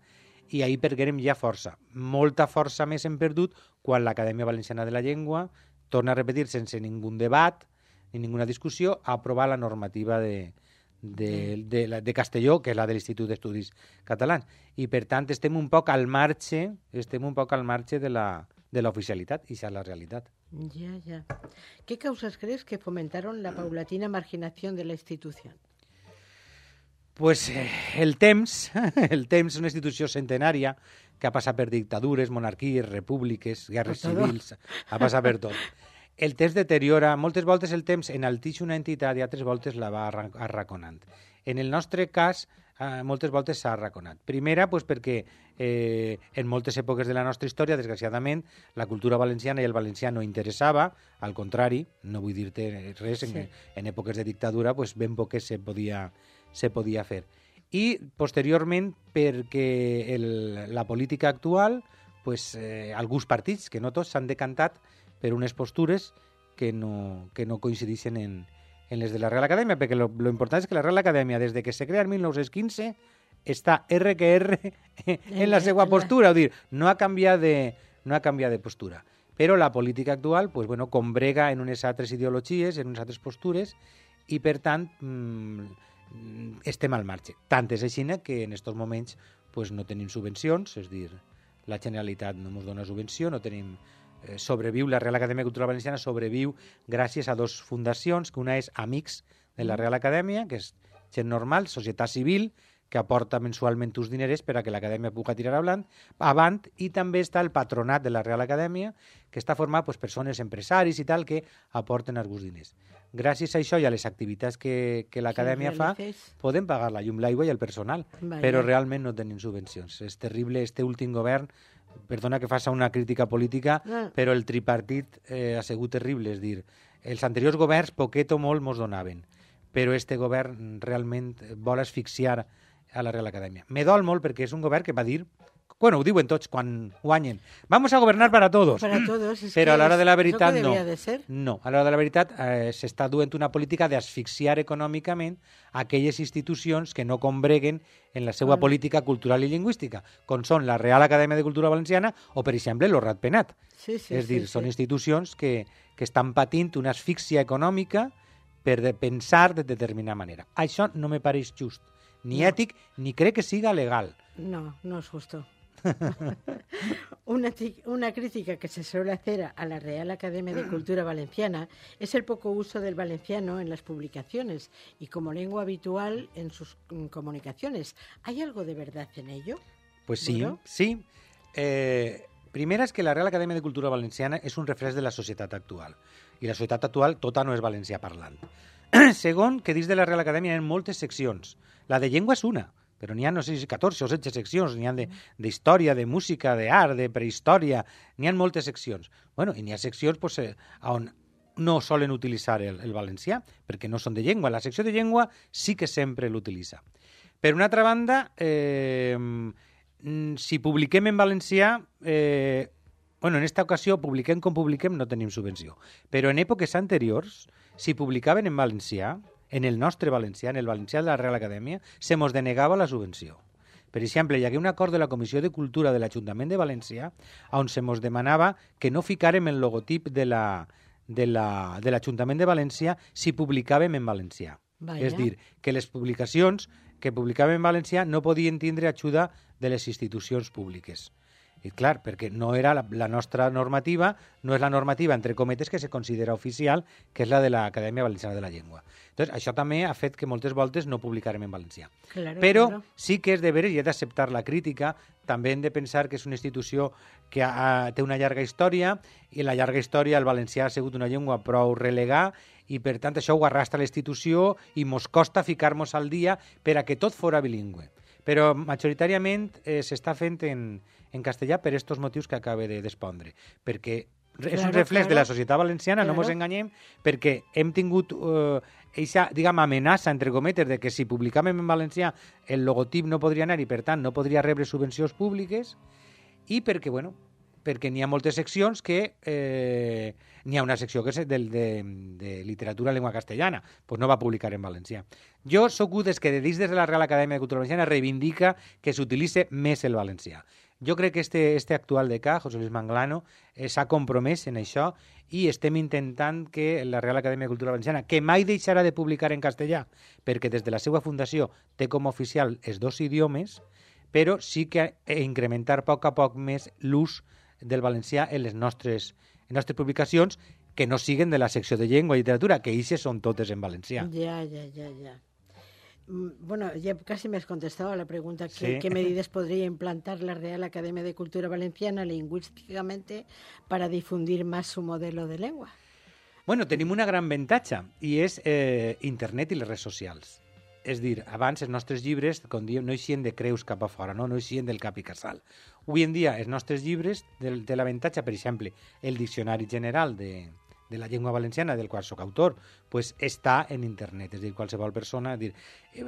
i ahir perguérem ja força. Molta força més hem perdut quan l'Acadèmia Valenciana de la Llengua torna a repetir sense ningú debat ni ninguna discussió a aprovar la normativa de, de, de, de, de Castelló, que és la de l'Institut d'Estudis Catalans. I, per tant, estem un poc al marge, estem un poc al marge de la, de l'oficialitat, i això és la realitat. Ya, ya. ¿Qué causas crees que fomentaron la paulatina marginación de la institución? Pues eh, el temps, el temps és una institució centenària que ha passat per dictadures, monarquies, repúbliques, guerres Per todo. civils, ha passat per tot. el temps deteriora, moltes voltes el temps enalteix una entitat i altres voltes la va arra- arraconant. En el nostre cas, eh, moltes voltes s'ha arraconat. Primera, pues, perquè eh, en moltes èpoques de la nostra història, desgraciadament, la cultura valenciana i el valencià no interessava, al contrari, no vull dir-te res, sí. en, en èpoques de dictadura pues, ben poc se podia, se podia fer. I, posteriorment, perquè el, la política actual, pues, eh, alguns partits, que no tots, s'han decantat per unes postures que no, que no coincideixen en, en les de la Real Acadèmia, perquè lo, lo important és que la Real Acadèmia, des de que se crea en mil nou-cents quinze, està R que R en la seva postura, és dir, no ha canviat de, no ha canviat de postura. Però la política actual, pues, bueno, combrega en unes altres ideologies, en unes altres postures, i per tant mmm, estem al marge. Tant és així que en aquests moments pues, no tenim subvencions, és dir, la Generalitat no ens dona subvenció, no tenim eh, sobreviu, la Real Acadèmia Cultural Valenciana sobreviu gràcies a dos fundacions, que una és Amics de la Real Acadèmia, que és gent normal, societat civil, que aporta mensualment uns diners per a que l'Acadèmia pugui tirar avant, avant, i també està el patronat de la Real Acadèmia, que està format per persones, empresaris i tal, que aporten alguns diners. Gràcies a això i a les activitats que, que l'Acadèmia fa, podem pagar la llum, l'aigua i el personal, Vaya. Però realment no tenim subvencions. És terrible, este últim govern, perdona que faça una crítica política, ah. però el tripartit eh, ha sigut terrible, és dir, els anteriors governs poquet o molt mos donaven, però este govern realment vol asfixiar a la Real Acadèmia. Me dol molt perquè és un govern que va dir, bueno, ho diuen tots quan guanyen, vamos a governar para todos. Para todos, es però a l'hora de la es veritat no. De ser. No, a l'hora de la veritat eh, s'està duent una política d'asfixiar econòmicament aquelles institucions que no combreguen en la seva ah. política cultural i lingüística, com són la Real Acadèmia de Cultura Valenciana o, per exemple, el Ratpenat. Sí, sí, és dir, sí, són sí. institucions que, que estan patint una asfíxia econòmica per de pensar de determinada manera. Això no me pareix just. Ni no. ètic, ni crec que siga legal. No, no es justo. una, una crítica que se suele hacer a la Real Academia de Cultura Valenciana es el poco uso del valenciano en las publicaciones y como lengua habitual en sus comunicaciones. ¿Hay algo de verdad en ello? Pues sí, ¿Bueno? sí. Eh, primera és que la Real Acadèmia de Cultura Valenciana és un reflex de la societat actual. I la societat actual tota no és valencià parlant. Segon, que dins de la Real Acadèmia hi ha moltes seccions. La de llengua és una, però n'hi ha, no sé si catorze o setze seccions, n'hi ha d'història, de, de música, d'art, de prehistòria, n'hi ha moltes seccions. Bueno, i n'hi ha seccions pues, eh, on no solen utilitzar el, el valencià, perquè no són de llengua. La secció de llengua sí que sempre l'utilitza. Per una altra banda, eh, si publiquem en valencià, eh, bueno, en esta ocasió, publiquem com publiquem, no tenim subvenció. Però en èpoques anteriors, si publicaven en valencià, en el nostre valencià, en el valencià de la Real Acadèmia, se mos denegava la subvenció. Per exemple, hi hagué un acord de la Comissió de Cultura de l'Ajuntament de València on se mos demanava que no ficàrem el logotip de la, de la, de l'Ajuntament de València si publicàvem en valencià. Vaya. És dir, que les publicacions que publicàvem en valencià no podien tindre ajuda de les institucions públiques. I clar, perquè no era la, la nostra normativa, no és la normativa, entre cometes, que se considera oficial, que és la de l'Acadèmia Valenciana de la Llengua. Entonces, això també ha fet que moltes voltes no publicarem en valencià. Claro, Però claro. sí que és de veres i he d'acceptar la crítica, també hem de pensar que és una institució que ha, té una llarga història, i la llarga història el valencià ha sigut una llengua prou relegar, i per tant això ho arrastra la institució i mos costa ficar-nos al dia per a que tot fora bilingüe. Però majoritàriament eh, s'està fent en, en castellà per aquests motius que acabe de despondre. Perquè és claro, un reflex claro. de la societat valenciana, claro. no ens enganyem, perquè hem tingut eh, eixa, diguem, amenaça, entre cometes, de que si publicàvem en valencià el logotip no podria anar i, per tant, no podria rebre subvencions públiques, i perquè, bueno, perquè n'hi ha moltes seccions que... Eh, n'hi ha una secció que és de, de, de literatura en llengua castellana, doncs no va publicar en valencià. Jo sóc un dels que dins de la Real Acadèmia de Cultura Valenciana reivindica que s'utilitzi més el valencià. Jo crec que este, este actual decà, José Luis Manglano, eh, s'ha compromès en això i estem intentant que la Real Acadèmia de Cultura Valenciana, que mai deixarà de publicar en castellà, perquè des de la seva fundació té com a oficial els dos idiomes, però sí que incrementar a poc a poc més l'ús del valencià en les nostres, en nostres publicacions, que no siguen de la secció de llengua i literatura, que eixes són totes en valencià. Ja, ja, ja, ja. Bueno, ya casi me has contestado a la pregunta, ¿qué, ¿Sí? ¿qué medidas podría implantar la Real Academia de Cultura Valenciana lingüísticamente para difundir más su modelo de lengua? Bueno, tenim una gran avantatge, i és eh, internet i les redes socials. És dir, abans els nostres llibres, com diem, no eixien de creus cap a fora, no, no eixien del cap i casal. Avui en dia, els nostres llibres, de, de l'avantatge, per exemple, el Diccionari General de, de la llengua valenciana, del qual soc autor, pues està en internet, és dir, qualsevol persona... Dir, eh,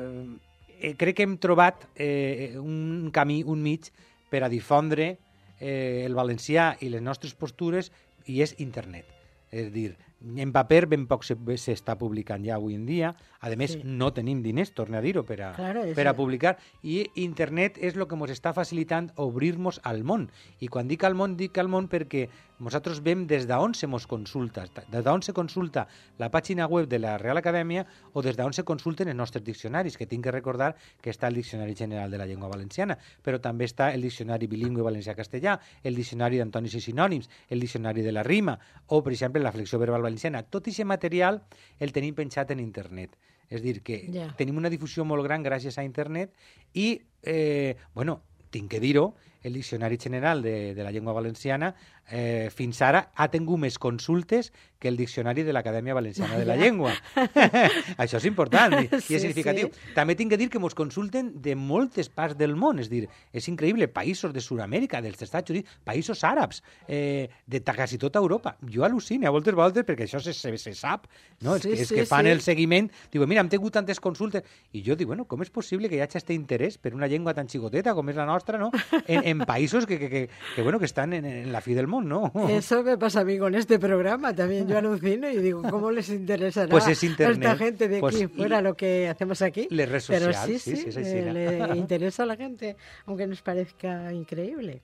eh, crec que hem trobat eh, un camí, un mig, per a difondre eh, el valencià i les nostres postures, i és internet. És dir, en paper ben poc s'està publicant ja avui en dia. A més, sí. no tenim diners, torno a dir-ho, per, a, claro, per a publicar. I internet és el que ens està facilitant obrir-nos al món. I quan dic al món, dic al món perquè nosaltres veiem des d'on se mos consulta, des d'on se consulta la pàgina web de la Real Acadèmia o des d'on se consulten els nostres diccionaris, que tinc que recordar que està el Diccionari General de la Llengua Valenciana, però també està el Diccionari Bilingüe Valencià-Castellà, el Diccionari d'Antonis i Sinònims, el Diccionari de la Rima, o, per exemple, la Flexió Verbal Valenciana. Tot aquest material el tenim penjat en internet. És dir, que yeah. tenim una difusió molt gran gràcies a internet i, eh, bueno, tinc que dir-ho, el Diccionari General de, de la Llengua Valenciana eh, fins ara ha tingut més consultes que el Diccionari de l'Acadèmia Valenciana de la Llengua. Això és important i, sí, i és significatiu. Sí. També tinc que dir que ens consulten de moltes parts del món, és dir, és increïble, països de Sud-amèrica, dels Estats Units, països àrabs, eh, de quasi tota Europa. Jo al·lucino a voltes voltes perquè això se, se, se sap, no? Sí, és que, sí, és que fan sí. el seguiment, diuen, mira, hem tingut tantes consultes, i jo dic, bueno, com és possible que hi hagi aquest interès per una llengua tan xicoteta com és la nostra, no? En, en países que, que, que, que, bueno, que están en, en la fi del mundo, ¿no? Eso me pasa a mí con este programa. También yo alucino y digo, ¿cómo les interesará pues es internet. a esta gente de pues aquí fuera lo que hacemos aquí? Les redes Pero sociales, sí, sí, sí, sí, sí sí, sí, le interesa a la gente, aunque nos parezca increíble.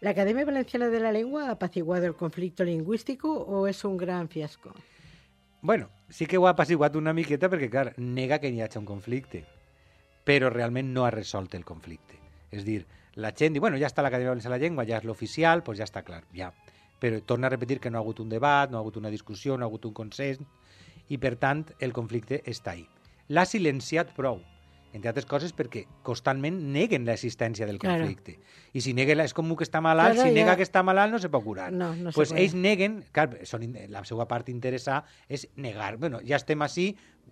¿La Academia Valenciana de la Lengua ha apaciguado el conflicto lingüístico o es un gran fiasco? Bueno, sí que ho ha apaciguat una miqueta perquè, clar, nega que hi hagi un conflicte, però realment no ha resolt el conflicte. És dir, la gent diu, bueno, ja està l'Acadèmia Valenciana de la Llengua, ja és l'oficial, doncs ja està clar, ja. Però torna a repetir que no ha hagut un debat, no ha hagut una discussió, no ha hagut un consens, i per tant el conflicte està ahí. L'ha silenciat prou, entre altres coses perquè constantment neguen l'existència del conflicte. Claro. I si neguen, és com que està malalt, claro, si nega ja... que està malalt no se pot curar. No, no pues se puede. Ells neguen, clar, són, la seva part interessada és negar, bueno, ja estem així,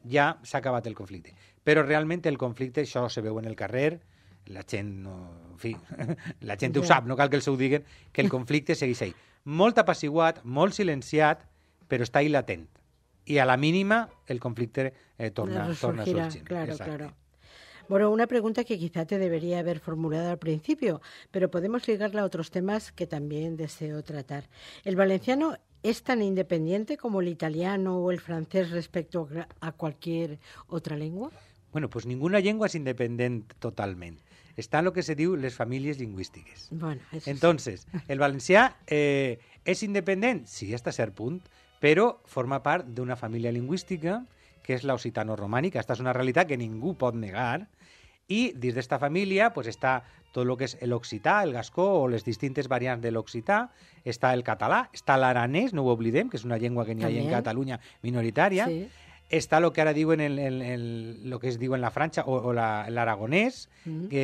ja s'ha acabat el conflicte. Però realment el conflicte, això se veu en el carrer, la gent, no, en fi, la gent ja. ho sap, no cal que els ho diguen, que el conflicte segueix ahí. Molt apaciguat, molt silenciat, però està ahí latent. I a la mínima el conflicte eh, torna, torna a sorgir. Claro, Exacte. claro. Bueno, una pregunta que quizá te debería haber formulado al principio, pero podemos ligarla a otros temas que también deseo tratar. ¿El valenciano es tan independiente como el italiano o el francés respecto a cualquier otra lengua? Bueno, pues ninguna llengua és independent totalment. Està en el que se diu les famílies lingüístiques. Bueno, eso Entonces, sí. el valencià eh, és independent? Sí, hasta cert punt, però forma part d'una família lingüística que és l'occitano-romànica. Aquesta és una realitat que ningú pot negar. I dins d'esta família pues, està tot el que és l'occità, el gascó o les distintes variants de l'occità, està el català, està l'aranès, no ho oblidem, que és una llengua que n'hi ha en Catalunya minoritària, sí. Està el que ara diuen el, el, el, el que es diu en la França o, o l'aragonès mm. que,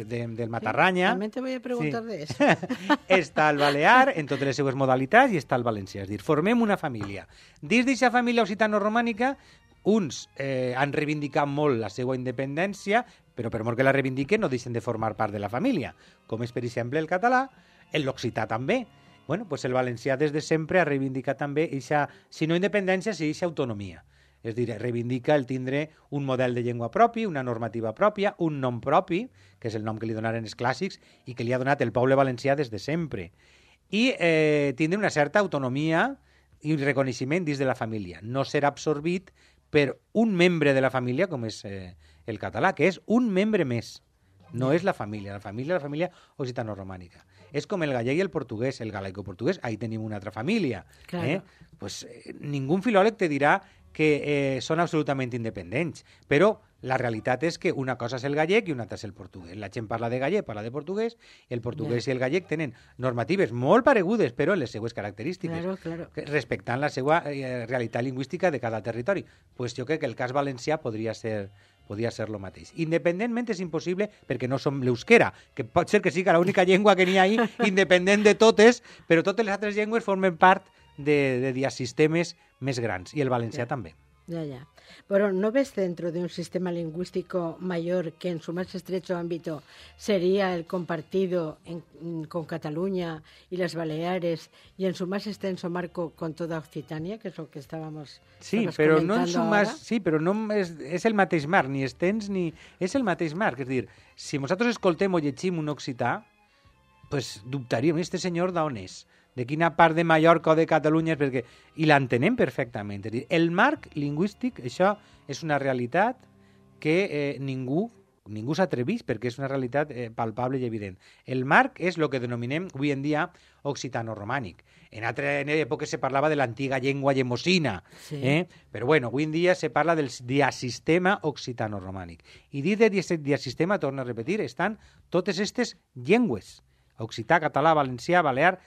de, del Matarranya. Sí, també te voy a preguntar sí. de eso. Està el balear en totes les seues modalitats i està el valencià. És dir, formem una família. Dins d'aquesta família occitano-romànica, uns eh, han reivindicat molt la seva independència, però per molt que la reivindiquen no deixen de formar part de la família, com és, per exemple, el català, l'occità també. Bueno, pues el valencià des de sempre ha reivindicat també eixa, si no independència, sí eixa autonomia. És dir, reivindica el tindre un model de llengua propi, una normativa pròpia, un nom propi, que és el nom que li donaren els clàssics i que li ha donat el poble valencià des de sempre. I eh, tindre una certa autonomia i reconeixement dins de la família. No serà absorbit per un membre de la família, com és eh, el català, que és un membre més. No és la família, la família la família occitano-romànica. És com el gallec i el portuguès, el galaico-portuguès, ahí tenim una altra família. Claro. Eh? Pues, eh, ningú filòleg te dirà que eh, són absolutament independents, però la realitat és que una cosa és el gallec i una altra és el portuguès. La gent parla de gallec, parla de portuguès, i el portuguès yeah. i el gallec tenen normatives molt paregudes, però en les seues característiques, claro, claro. respectant la seva eh, realitat lingüística de cada territori. Pues jo crec que el cas valencià podria ser podria ser el mateix. Independentment és impossible perquè no som l'euskera, que pot ser que sigui l'única llengua que n'hi ha ahí, independent de totes, però totes les altres llengües formen part de, de diasistemes més grans, i el valencià Ja. també. Ya, ya. Pero ¿no ves dentro de un sistema lingüístico mayor que en su más estrecho ámbito sería el compartido en- con Cataluña y las Baleares y en su más extenso marco con toda Occitania, que es lo que estábamos Sí, estabas però no en comentando sumas, ahora? sí, però no és, és el mateix marc, ni estens ni... És el mateix marc, és a dir, si nosaltres escoltem o llegim un occità, pues dubtaríem, este senyor d'on és? De quina part de Mallorca o de Catalunya és? Perquè... I l'entenem perfectament. És a dir, el marc lingüístic, això és una realitat que eh, ningú ningú s'atreveix perquè és una realitat eh, palpable i evident. El marc és el que denominem avui en dia occitano-romànic. En altres èpoques se parlava de l'antiga llengua llemosina, Sí. eh? però bueno, avui en dia se parla del diasistema occitano-romànic. I dins de dias- diasistema, torno a repetir, estan totes aquestes llengües. Occità, català, valencià, balear.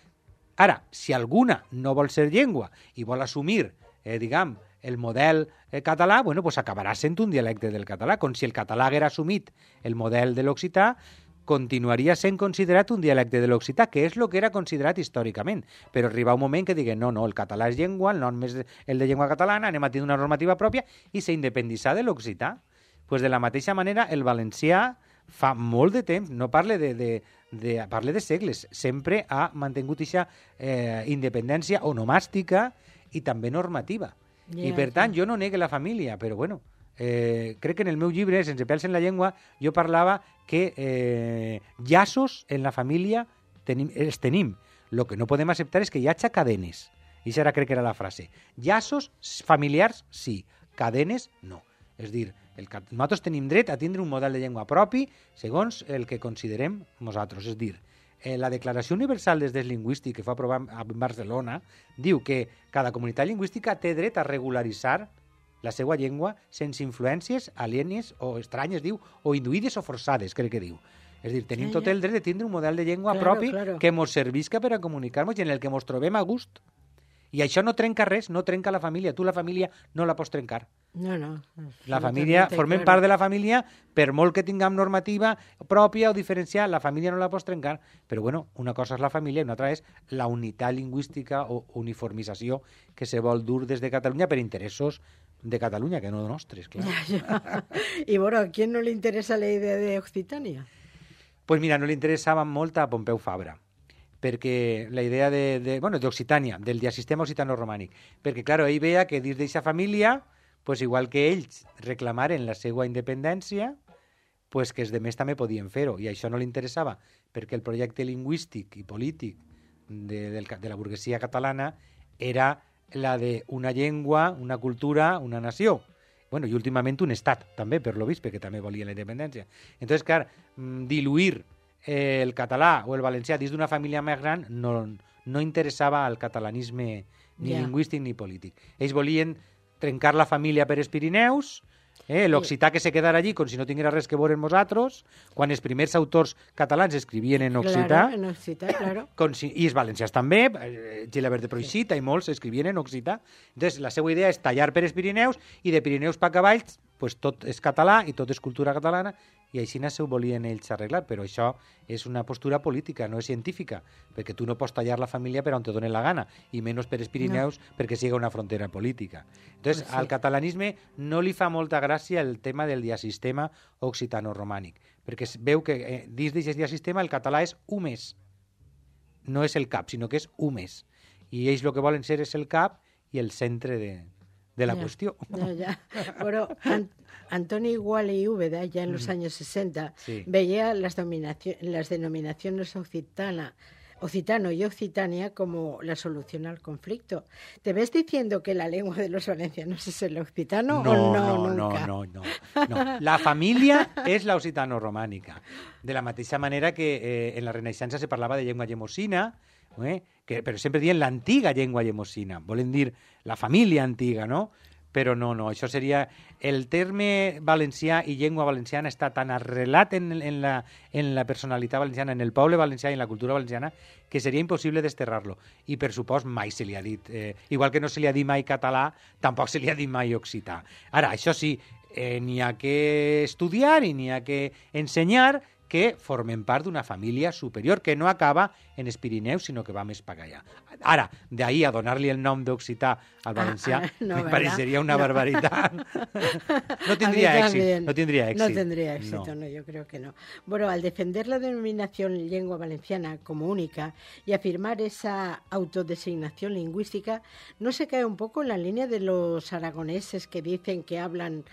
Ara, si alguna no vol ser llengua i vol assumir, eh, diguem, el model eh, català, bueno, pues acabarà sent un dialecte del català, com si el català haguera assumit el model de l'occità, continuaria sent considerat un dialecte de l'occità, que és el que era considerat històricament. Però arriba un moment que diguen, no, no, el català és llengua, el nom és el de llengua catalana, anem a tenir una normativa pròpia i s'independitzar de l'occità. Pues de la mateixa manera, el valencià fa molt de temps, no parle de, de, de, parle de segles, sempre ha mantingut aquesta eh, independència onomàstica i també normativa. Ja, I per tant, ja. jo no negue la família, però bueno, eh, crec que en el meu llibre, Sense pèls en la llengua, jo parlava que eh, llaços en la família tenim, els tenim. El que no podem acceptar és que hi hagi cadenes. I això ara crec que era la frase. Llaços familiars, sí. Cadenes, no. És dir, el, ca- nosaltres tenim dret a tindre un model de llengua propi segons el que considerem nosaltres. És dir, eh, la Declaració Universal dels Drets Lingüístics que fa aprovar a Barcelona diu que cada comunitat lingüística té dret a regularitzar la seva llengua sense influències alienes o estranyes, diu, o induïdes o forçades, crec que diu. És dir, tenim Ja, tot ja. el dret de tindre un model de llengua Claro, propi claro. que ens servisca per a comunicar-nos i en el que ens trobem a gust. I això no trenca res, no trenca la família. Tu la família no la pots trencar. No, no. La família, formem part de la família, per molt que tinguem normativa pròpia o diferencial, la família no la pots trencar. Però bueno, una cosa és la família i una altra és la unitat lingüística o uniformització que se vol dur des de Catalunya per interessos de Catalunya, que no nostres, clar. Y bueno, ¿a quién no le interesa la idea de Occitania? Pues mira, no li interessava molt a Pompeu Fabra, perquè la idea de, de bueno, d'Occitània, del diasistema occitano-romànic, perquè, clar, ell veia que dins d'aquesta família, pues, igual que ells reclamaren la seva independència, pues, que els demés també podien fer-ho, i això no li interessava, perquè el projecte lingüístic i polític de, del, de la burguesia catalana era la d'una llengua, una cultura, una nació. Bueno, i últimament un estat, també, per lo vist, perquè també volia la independència. Entonces, clar, mm, diluir eh, el català o el valencià dins d'una família més gran no, no interessava al catalanisme ni Ja. lingüístic ni polític. Ells volien trencar la família per els Pirineus, eh, l'occità que se quedara allí com si no tinguera res que veure amb nosaltres, quan els primers autors catalans escrivien en occità, Claro, en Occità, claro. com si, i els valencians també, eh, Gilabert de Proixita i molts escrivien en occità. Entonces, la seva idea és tallar per els Pirineus i de Pirineus pa cavalls, pues tot és català i tot és cultura catalana, i així se ho volien ells arreglar, però això és una postura política, no és científica, perquè tu no pots tallar la família per on te donen la gana, i menys per els Pirineus no. perquè siga una frontera política. Entonces, Pues sí. al catalanisme no li fa molta gràcia el tema del diasistema occitano-romànic, perquè es veu que eh, dins d'aquest diasistema el català és u més, no és el cap, sinó que és u més. I ells el que volen ser és el cap i el centre de, de la Ya, qüestió. ya, ya. Bueno, An- Antonio Igual y Úbeda, ya en los años sesenta, Sí. veía las, dominacio- las denominaciones occitana, occitano y occitania como la solución al conflicto. ¿Te ves diciendo que la lengua de los valencianos es el occitano No, o no, no, no, nunca? no, no, no. La família és la occitano-romànica. De la mateixa manera que eh, en la Renaixença se parlava de llengua llemosina, eh, que, però sempre dient l'antiga llengua llemosina. Volen dir la família antiga, no? Però no, no, això seria... El terme valencià i llengua valenciana està tan arrelat en, en, la, en la personalitat valenciana, en el poble valencià i en la cultura valenciana, que seria impossible desterrar-lo. I, per supost, mai se li ha dit... Eh, igual que no se li ha dit mai català, tampoc se li ha dit mai occità. Ara, això sí, eh, n'hi ha que estudiar i n'hi ha que ensenyar que formen part d'una família superior, que no acaba en els Pirineus, sinó que va més per allà. Ara, d'ahí a donar-li el nom d'occità al valencià, ah, ah, no, me parecería una no. barbaridad. No tendría éxito. No tendría éxito. No tendría éxito, no. no, yo creo que no. Bueno, al defender la denominación lengua valenciana como única y afirmar esa autodesignación lingüística, ¿no se cae un poco en la línea de los aragoneses que dicen que hablan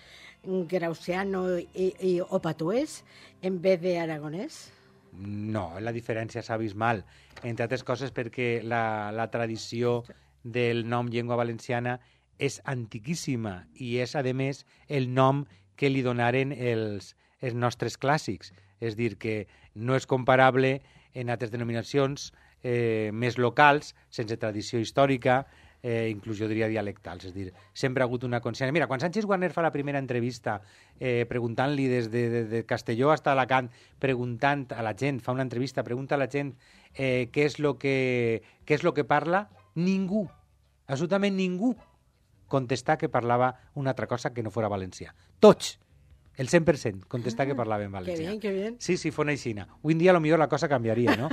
grausiano y, y, o patuès en vez de aragonès? No, la diferència és abismal, entre altres coses perquè la, la tradició del nom llengua valenciana és antiquíssima i és, a més, el nom que li donaren els, els nostres clàssics. És dir, que no és comparable en altres denominacions eh, més locals, sense tradició històrica, eh, inclús jo diria dialectals. És dir, sempre ha hagut una consciència. Mira, quan Sánchez Guarner fa la primera entrevista eh, preguntant-li des de, de, de Castelló fins a Alacant, preguntant a la gent, fa una entrevista, pregunta a la gent eh, què és lo que, què és lo que parla, ningú, absolutament ningú, contestar que parlava una altra cosa que no fora valencià. Tots! El cent per cent contestar que parlava en valencià. Que bien, que bien. Sí, sí, fos aixina. Avui en dia potser la cosa canviaria, no?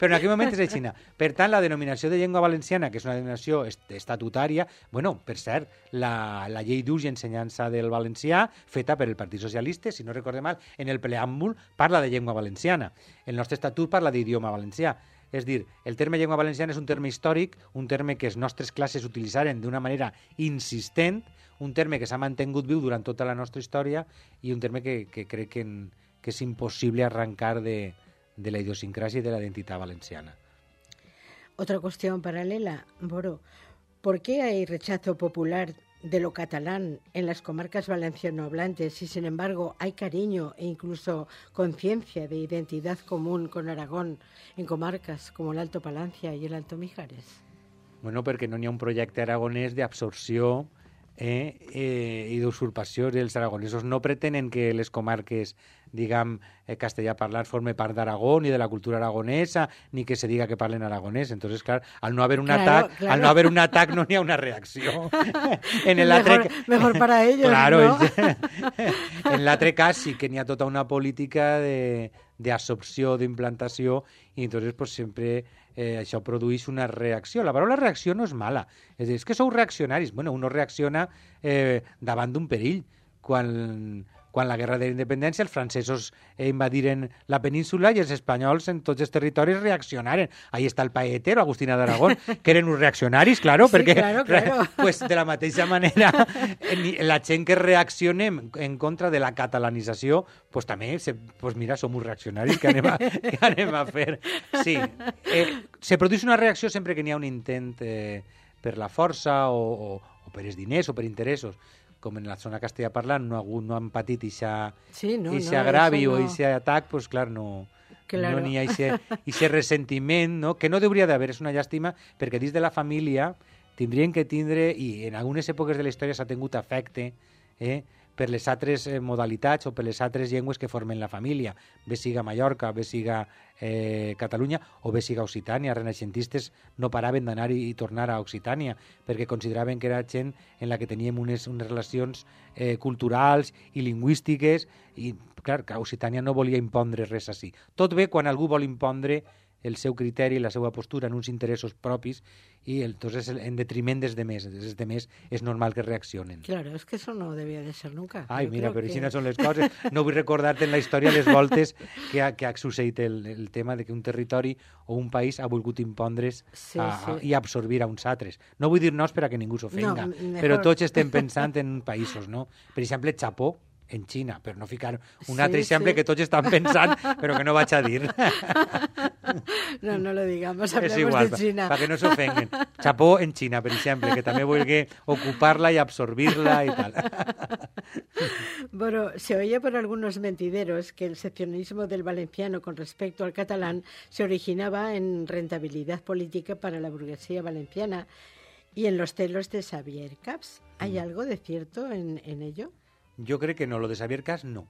Però en aquell moment és aixina. Per tant, la denominació de llengua valenciana, que és una denominació est estatutària, bueno, per cert, la, la llei d'ús i ensenyança del valencià, feta per el Partit Socialista, si no recorde mal, en el preàmbul parla de llengua valenciana. El nostre estatut parla d'idioma valencià. És dir, el terme llengua valenciana és un terme històric, un terme que les nostres classes utilitzaren d'una manera insistent, un terme que s'ha mantingut viu durant tota la nostra història i un terme que, que crec que, en, que és impossible arrancar de, de la idiosincrasia y de la identidad valenciana. Otra cuestión paralela, Boro, ¿por qué hay rechazo popular de lo catalán en las comarcas valencianohablantes y, sin embargo, hay cariño e incluso conciencia de identidad común con Aragón en comarcas como el Alto Palancia y el Alto Mijares? Bueno, perquè no n'hi ha un projecte aragonès d'absorció eh, eh, i d'usurpació. Els aragonesos no pretenen que les comarques, diguem, eh, castellà parlant forme part d'Aragó, ni de la cultura aragonesa, ni que se diga que parlen aragonès. Entonces, clar, al no haver un claro, atac, claro. al no haver un atac no n'hi ha una reacció. En el mejor, altre... mejor para ellos, claro, ¿no? En l'altre cas sí que n'hi ha tota una política de d'absorció, d'implantació, i entonces pues, sempre eh, això produeix una reacció. La paraula reacció no és mala. És dir, és que sou reaccionaris. Bueno, uno reacciona eh, davant d'un perill. Quan, quan la guerra de la independència els francesos eh, invadiren la península i els espanyols en tots els territoris reaccionaren. Ahí està el paetero, Agustina d'Aragón, que eren uns reaccionaris, claro, sí, perquè claro, claro. Pues, de la mateixa manera la gent que reaccionem en contra de la catalanització, pues també, se, pues mira, som uns reaccionaris, que anem a, que anem a fer? Sí, eh, se produeix una reacció sempre que n'hi ha un intent eh, per la força o, o, o per els diners o per interessos. Com en la zona castellà parlant no, no han patit ixa, sí, no, ixa no, agravi no. o ixa atac, pues clar, no, claro. no n'hi ha ixe ressentiment, no? Que no hauria d'haver, és una llàstima, perquè dins de la família tindrien que tindre, i en algunes èpoques de la història s'ha tingut afecte, eh, per les altres eh, modalitats o per les altres llengües que formen la família, bé siga Mallorca, bé siga eh, Catalunya o bé siga Occitània. Renaixentistes no paraven d'anar i, i tornar a Occitània perquè consideraven que era gent en la que teníem unes, unes relacions eh, culturals i lingüístiques i, clar, que Occitània no volia impondre res així. Tot bé quan algú vol impondre el seu criteri, la seva postura en uns interessos propis i entonces en detriment dels demés. Els demés és normal que reaccionen. Claro, es que eso no debía de ser nunca. Ai, Yo mira, però que... així no són les coses. No vull recordar-te en la història les voltes que ha, que ha succeït el, el tema de que un territori o un país ha volgut impondre's sí, a, sí. A, i absorbir a uns altres. No vull dir nos per a que ningú s'ofenga, no, mejor... però tots estem pensant en països, no? Per exemple, Japó, en Xina, per no ficar un sí, altre exemple sí. que tots estan pensant, però que no vaig a dir. No, no lo digamos, hablemos és igual, de China. Para que no s'ofenguen. Japó en Xina, per exemple, que també vulgui ocupar-la i absorbir-la i tal. Bueno, se oye por algunos mentideros que el seccionismo del valenciano con respecto al catalán se originaba en rentabilidad política para la burguesía valenciana y en los celos de Xavier Camps. ¿Hay mm. algo de cierto en, en ello? Jo crec que no, lo de Xavier Camps no.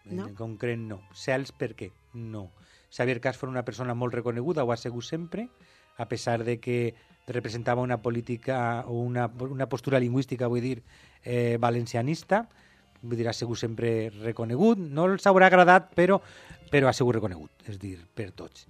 no. En concret no. Cels per què? No. Xavier Camps fos una persona molt reconeguda, ho ha sigut sempre, a pesar de que representava una política o una, una postura lingüística, vull dir, eh, valencianista, vull dir, ha sigut sempre reconegut. No els haurà agradat, però però ha sigut reconegut, és dir, per tots.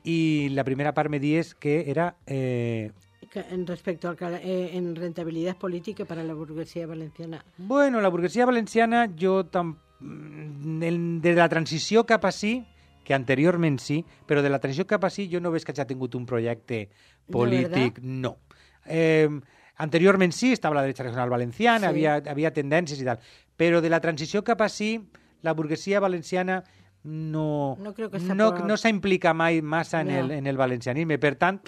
I la primera part me dies que era... Eh, En respecto al eh, en rentabilidad política para la burguesía valenciana. Bueno, la burguesia valenciana, jo tam, el, de la transició cap a sí, que anteriorment sí, però de la transició cap a sí jo no veig que hagi tingut un projecte polític, no. Eh, anteriorment sí, estava la dreta regional valenciana, sí. havia, havia tendències i tal, però de la transició cap a sí, la burguesia valenciana no, no, creo que no, por... no s'ha implicat mai massa en, no. el, en el valencianisme. Per tant,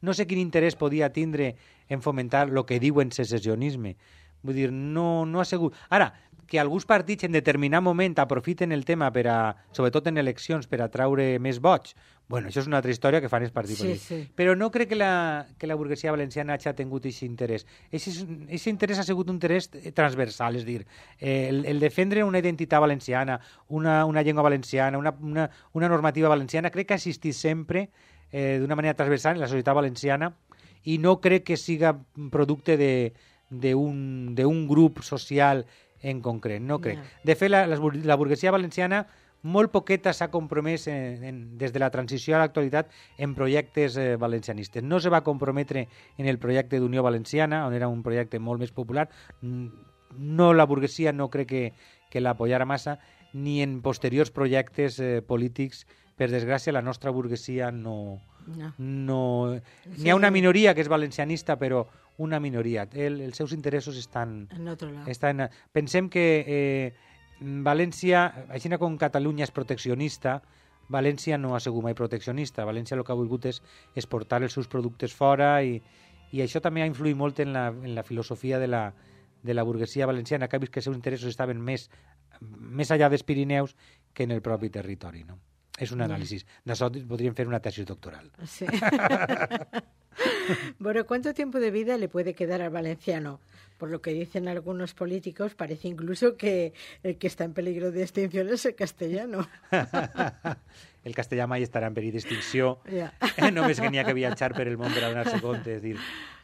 no sé quin interès podia tindre en fomentar el que diuen secessionisme. Vull dir, no, no ha sigut... Ara, que alguns partits en determinat moment aprofiten el tema, per a, sobretot en eleccions, per a traure més vots, bueno, això és una altra història que fan els partits sí, polítics. Sí. Però no crec que la, que la burguesia valenciana hagi tingut aquest interès. Aquest interès ha sigut un interès transversal, és dir, eh, el, el defendre una identitat valenciana, una, una llengua valenciana, una, una, una normativa valenciana, crec que ha existit sempre eh, d'una manera transversal en la societat valenciana i no crec que siga producte d'un grup social en concret, no crec. Yeah. De fet, la, la burguesia valenciana molt poqueta s'ha compromès en, en, des de la transició a l'actualitat en projectes eh, valencianistes. No se va comprometre en el projecte d'Unió Valenciana, on era un projecte molt més popular. No, la burguesia no crec que, que l'apoyara massa, ni en posteriors projectes eh, polítics. Per desgràcia, la nostra burguesia no... no. no sí. N'hi ha una minoria que és valencianista, però una minoria. El, els seus interessos estan... En otro lado. Estan, pensem que eh, València, així com Catalunya és proteccionista, València no ha sigut mai proteccionista. València el que ha volgut és exportar els seus productes fora i, i això també ha influït molt en la, en la filosofia de la, de la burguesia valenciana, que ha vist que els seus interessos estaven més, més allà dels Pirineus que en el propi territori, no? És un anàlisi. D'això podríem fer una tesis doctoral. Sí. Bueno, ¿cuánto tiempo de vida le puede quedar al valenciano? Por lo que dicen algunos políticos, parece incluso que el que está en peligro de extinción es el castellano. El castellà mai estarà en perill d'extinció. Yeah. Només que n'hi ha que viatjar per el món per a donar-se compte. És dir,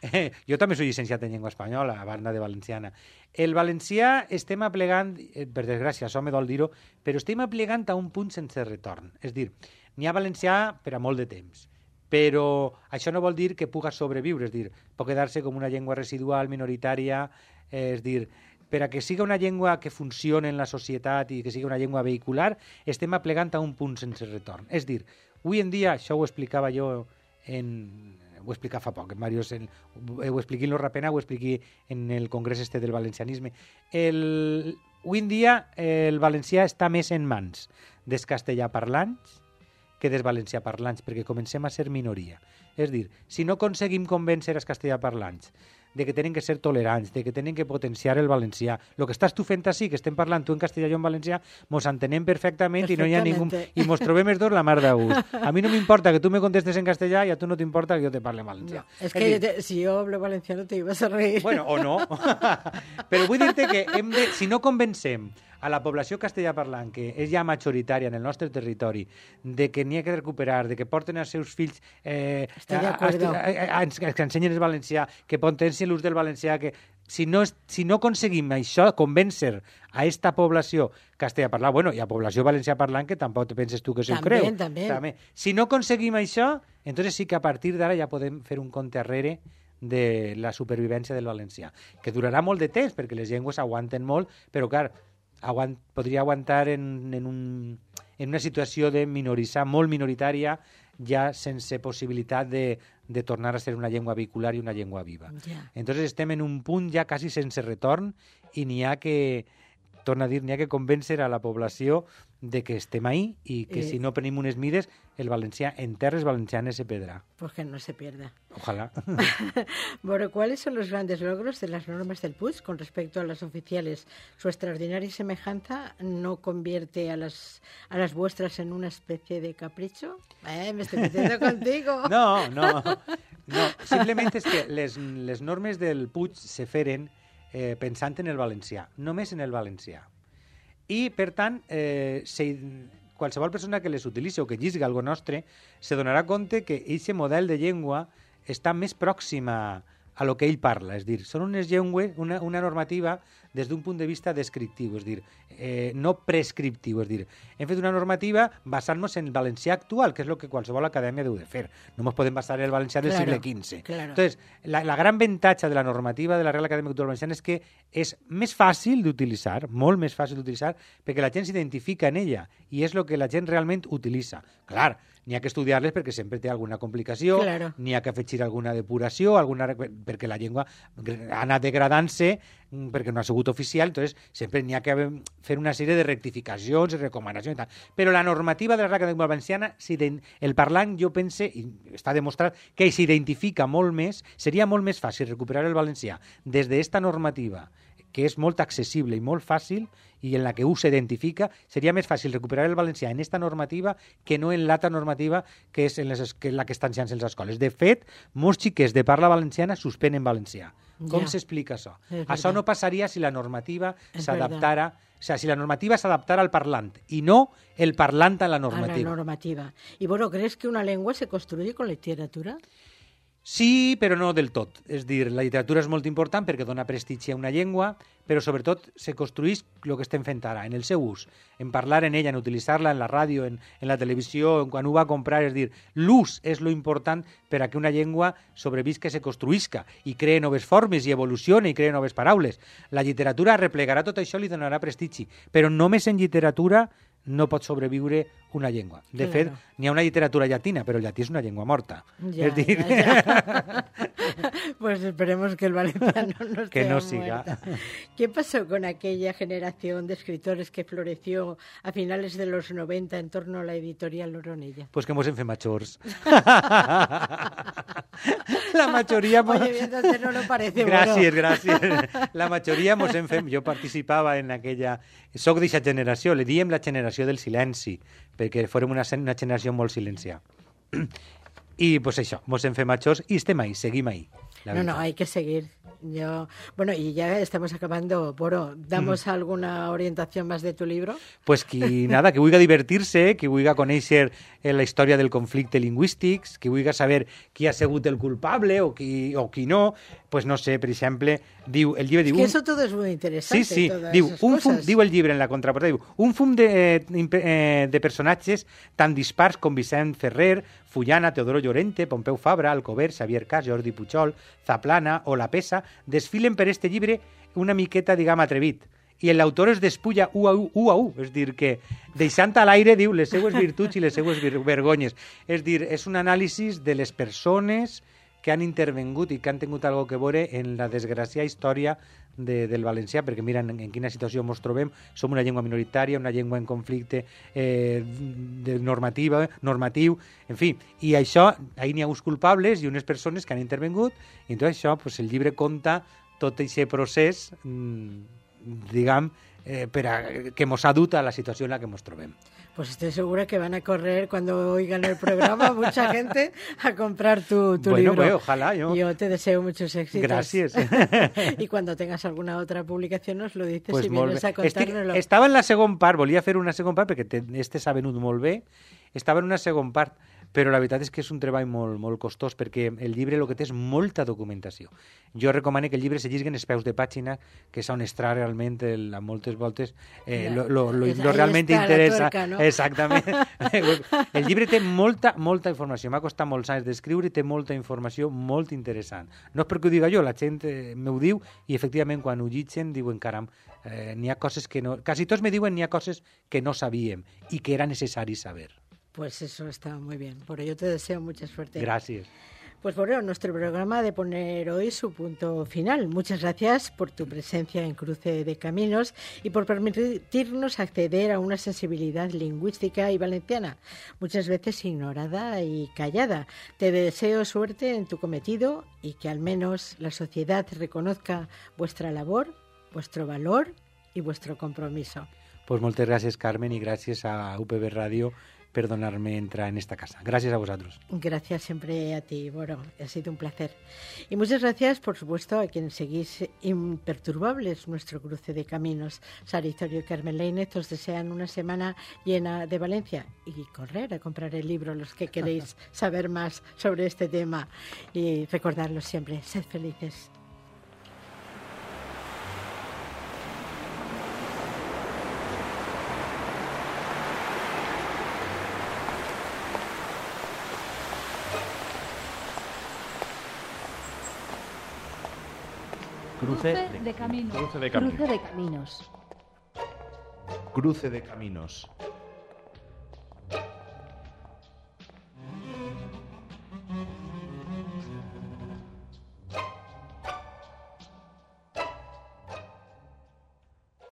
eh, jo també soy llicenciat en llengua espanyola, a banda de valenciana. El valencià estem aplegant, eh, per desgràcia, això me dol dir-ho, però estem aplegant a un punt sense retorn. És dir, n'hi ha valencià per a molt de temps, però això no vol dir que puga sobreviure, és dir, pot quedar-se com una llengua residual, minoritària, eh, és dir, per a que siga una llengua que funcioni en la societat i que siga una llengua vehicular, estem aplegant a un punt sense retorn. És dir, avui en dia, això ho explicava jo en... ho explica fa poc, Màrius, en, ho expliqui en l'Orrapena, ho expliqui en el congrés este del valencianisme. El, avui en dia el valencià està més en mans dels castellà parlants que dels valencià parlants, perquè comencem a ser minoria. És dir, si no aconseguim convèncer els castellà parlants de que tenen que ser tolerants, de que tenen que potenciar el valencià, el que estàs tu fent així, que estem parlant tu en castellà i jo en valencià, mos entenem perfectament, perfectament i no hi ha ningú... I mos trobem els dos la mar de gust. A mi no m'importa que tu me contestes en castellà i a tu no t'importa que jo te parle en valencià. No, és, és que dir... te, si jo hablo valenciano te ibas a reír. Bueno, o no. Però vull dir-te que hem de, si no convencem a la població castellà parlant, que és ja majoritària en el nostre territori, de que n'hi ha que recuperar, de que porten els seus fills eh, a, a, a, a, a, que ensenyen el valencià, que potencien l'ús del valencià, que si no, si no aconseguim això, convèncer a esta població castellà parlant, bueno, i a població valencià parlant, que tampoc te penses tu que s'ho creu. També, també. Si no aconseguim això, entonces sí que a partir d'ara ja podem fer un compte arrere de la supervivència del valencià, que durarà molt de temps, perquè les llengües aguanten molt, però, clar, Aguant, podria aguantar en, en, un, en una situació de minoritzar, molt minoritària, ja sense possibilitat de, de tornar a ser una llengua vehicular i una llengua viva. Yeah. Entonces estem en un punt ja quasi sense retorn i n'hi ha que, torna a dir, n'hi ha que convèncer a la població de que estem ahí y que eh, si no prenim unes mides, el valencià en terres valencianes se perdrá. Pues que no se pierda. Ojalá. Bueno, ¿cuáles son los grandes logros de las normas del Puig con respecto a las oficiales? ¿Su extraordinaria semejanza no convierte a las, a las vuestras en una especie de capricho? Eh, me estoy metiendo contigo. No, no. No, simplement és que les, les normes del Puig se feren eh, pensant en el valencià, només en el valencià. I, per tant, eh, se, qualsevol persona que les utilitzi o que llisga algo nostre se donarà compte que aquest model de llengua està més pròxima a lo que ell parla. És dir, són unes llengües, una, una normativa des d'un punt de vista descriptiu, és dir, eh, no prescriptiu, és dir, hem fet una normativa basant-nos en el valencià actual, que és el que qualsevol acadèmia deu de fer. No ens podem basar en el valencià del Claro, segle quinze. claro. Entonces, la, la gran avantatge de la normativa de la Real Acadèmia Cultural Valenciana és que és més fàcil d'utilitzar, molt més fàcil d'utilitzar, perquè la gent s'identifica en ella i és el que la gent realment utilitza. Clar, n'hi ha que estudiar-les perquè sempre té alguna complicació, Claro. n'hi ha que afegir alguna depuració, alguna, perquè la llengua ha anat degradant-se perquè no ha sigut oficial, entonces sempre n'hi ha que fer una sèrie de rectificacions i recomanacions i tal. Però la normativa de la Real Acadèmia Valenciana, el parlant, jo pense, i està demostrat, que s'identifica molt més, seria molt més fàcil recuperar el valencià des d'esta normativa, que és molt accessible i molt fàcil i en la que U s'identifica, seria més fàcil recuperar el valencià en esta normativa que no en l'altra normativa que és en les, que la que estan ensenyant les escoles. De fet, molts xiquets de parla valenciana suspenen valencià. Com Ja. s'explica això? És Això verdad. no passaria si la normativa És s'adaptara, o sea, si la normativa s'adaptara al parlant i no el parlant a la A la normativa. normativa. Y bueno, ¿crees que una lengua se construye con literatura? Sí, però no del tot. És dir, la literatura és molt important perquè dona prestigi a una llengua, però sobretot se construeix el que estem fent ara, en el seu ús, en parlar en ella, en utilitzar-la en la ràdio, en, en la televisió, en quan ho va a comprar. És dir, l'ús és lo important per a que una llengua sobrevisca i se construïsca i cree noves formes i evolucione i cree noves paraules. La literatura replegarà tot això i li donarà prestigi, però només en literatura no pot sobreviure una llengua. De Claro. fet, n'hi ha una literatura llatina, però el llatí és una llengua morta. Ya, és dir, ya, ya. Pues esperemos que el valenciano no esté Que no siga. muerta. ¿Qué pasó con aquella generación de escritores que floreció a finales de los noventa en torno a la editorial Oronella? pues que mos hem fet majors. La majoria... mos- Oye, entonces no lo parece Gràcies, bueno. gràcies. La majoria mos hem fet... Jo participava en aquella... Soc d'aquesta generació, le diem la generació del silenci, perquè fórem una, una generació molt silenciada. I pues això, mos hem fet majors i estem ahí, seguim ahí. La No, no, veritat. hay que seguir. Yo, bueno, y ya estamos acabando. Boro, ¿damos alguna orientación más de tu libro? Pues qui, nada, que vulgui divertir-se, que vulgui conèixer eh, la història del conflicte lingüístic, que vulgui saber qui ha sigut el culpable o qui, o qui no, pues no sé, per exemple, diu, el llibre Es diu... que un- eso todo es muy interesante. Sí, sí, todas diu, esas un fum, cosas. diu el llibre en la contraportada, diu, un fum de, eh, imp- eh, de personatges tan dispars com Vicent Ferrer, Fullana, Teodoro Llorente, Pompeu Fabra, Alcover, Xavier Cas, Jordi Pujol, Zaplana o La Pesa desfilen per este llibre una miqueta, diguem, atrevit. I l'autor es despulla u a u, u a u, és dir, que deixant a l'aire diu les seues virtuts i les seues vir vergonyes. És dir, és un anàlisi de les persones que han intervengut i que han tingut algo que veure en la desgraciada història de, del valencià, perquè mira en, en quina situació ens trobem, som una llengua minoritària, una llengua en conflicte eh, de normativa, normatiu, en fi, i això, ahir n'hi ha uns culpables i unes persones que han intervengut, i tot això, pues, el llibre conta tot aquest procés, mmm, diguem, eh, per a, que mos ha dut a la situació en la que ens trobem. Pues estoy segura que van a correr cuando oigan el programa mucha gente a comprar tu, tu Bueno, libro. pues, ojalá, yo- Yo te deseo muchos éxitos. Gracias. Y cuando tengas alguna otra publicación nos lo dices Pues y molt vienes bé. a contárnoslo. Estic, estava en la segon part, volia fer una segon part perquè te, este s'ha venut molt bé, estava en una segon part, però la veritat és que és un treball molt, molt costós perquè el llibre el que té és molta documentació. Jo recomano que el llibre se llegui en els peus de pàgina, que és on estarà realment el, a moltes voltes eh, lo, lo, lo, És- lo ahí realment està la interessa. tuerca, no? Exactament. El llibre té molta, molta informació. M'ha costat molts anys d'escriure i té molta informació molt interessant. No és perquè ho diga jo, la gent eh, m'ho diu i efectivament quan ho llitgen diuen caram, eh, n'hi ha coses que no... Quasi tots me diuen n'hi ha coses que no sabíem i que era necessari saber. Pues eso está muy bien. Por ello te deseo mucha suerte. Gràcies. Pues bueno, nuestro programa ha de poner hoy su punto final. Muchas gracias por tu presencia en Cruce de Caminos y por permitirnos acceder a una sensibilidad lingüística y valenciana, muchas veces ignorada y callada. Te deseo suerte en tu cometido y que al menos la sociedad reconozca vuestra labor, vuestro valor y vuestro compromiso. Pues moltes gràcies, Carmen, i gràcies a U P B Ràdio perdonarme entrar en esta casa. Gracias a vosotros. Gracias siempre a ti, Boro. Ha sido un placer. Y muchas gracias, por supuesto, a quienes seguís imperturbables nuestro cruce de caminos. Sara Historio y Carmen Lainez os desean una semana llena de Valencia y correr a comprar el libro los que queréis saber más sobre este tema. Y recordarlo siempre, sed felices. Cruce Cruce de caminos. Cruce de caminos. Cruce de caminos. Cruce de caminos.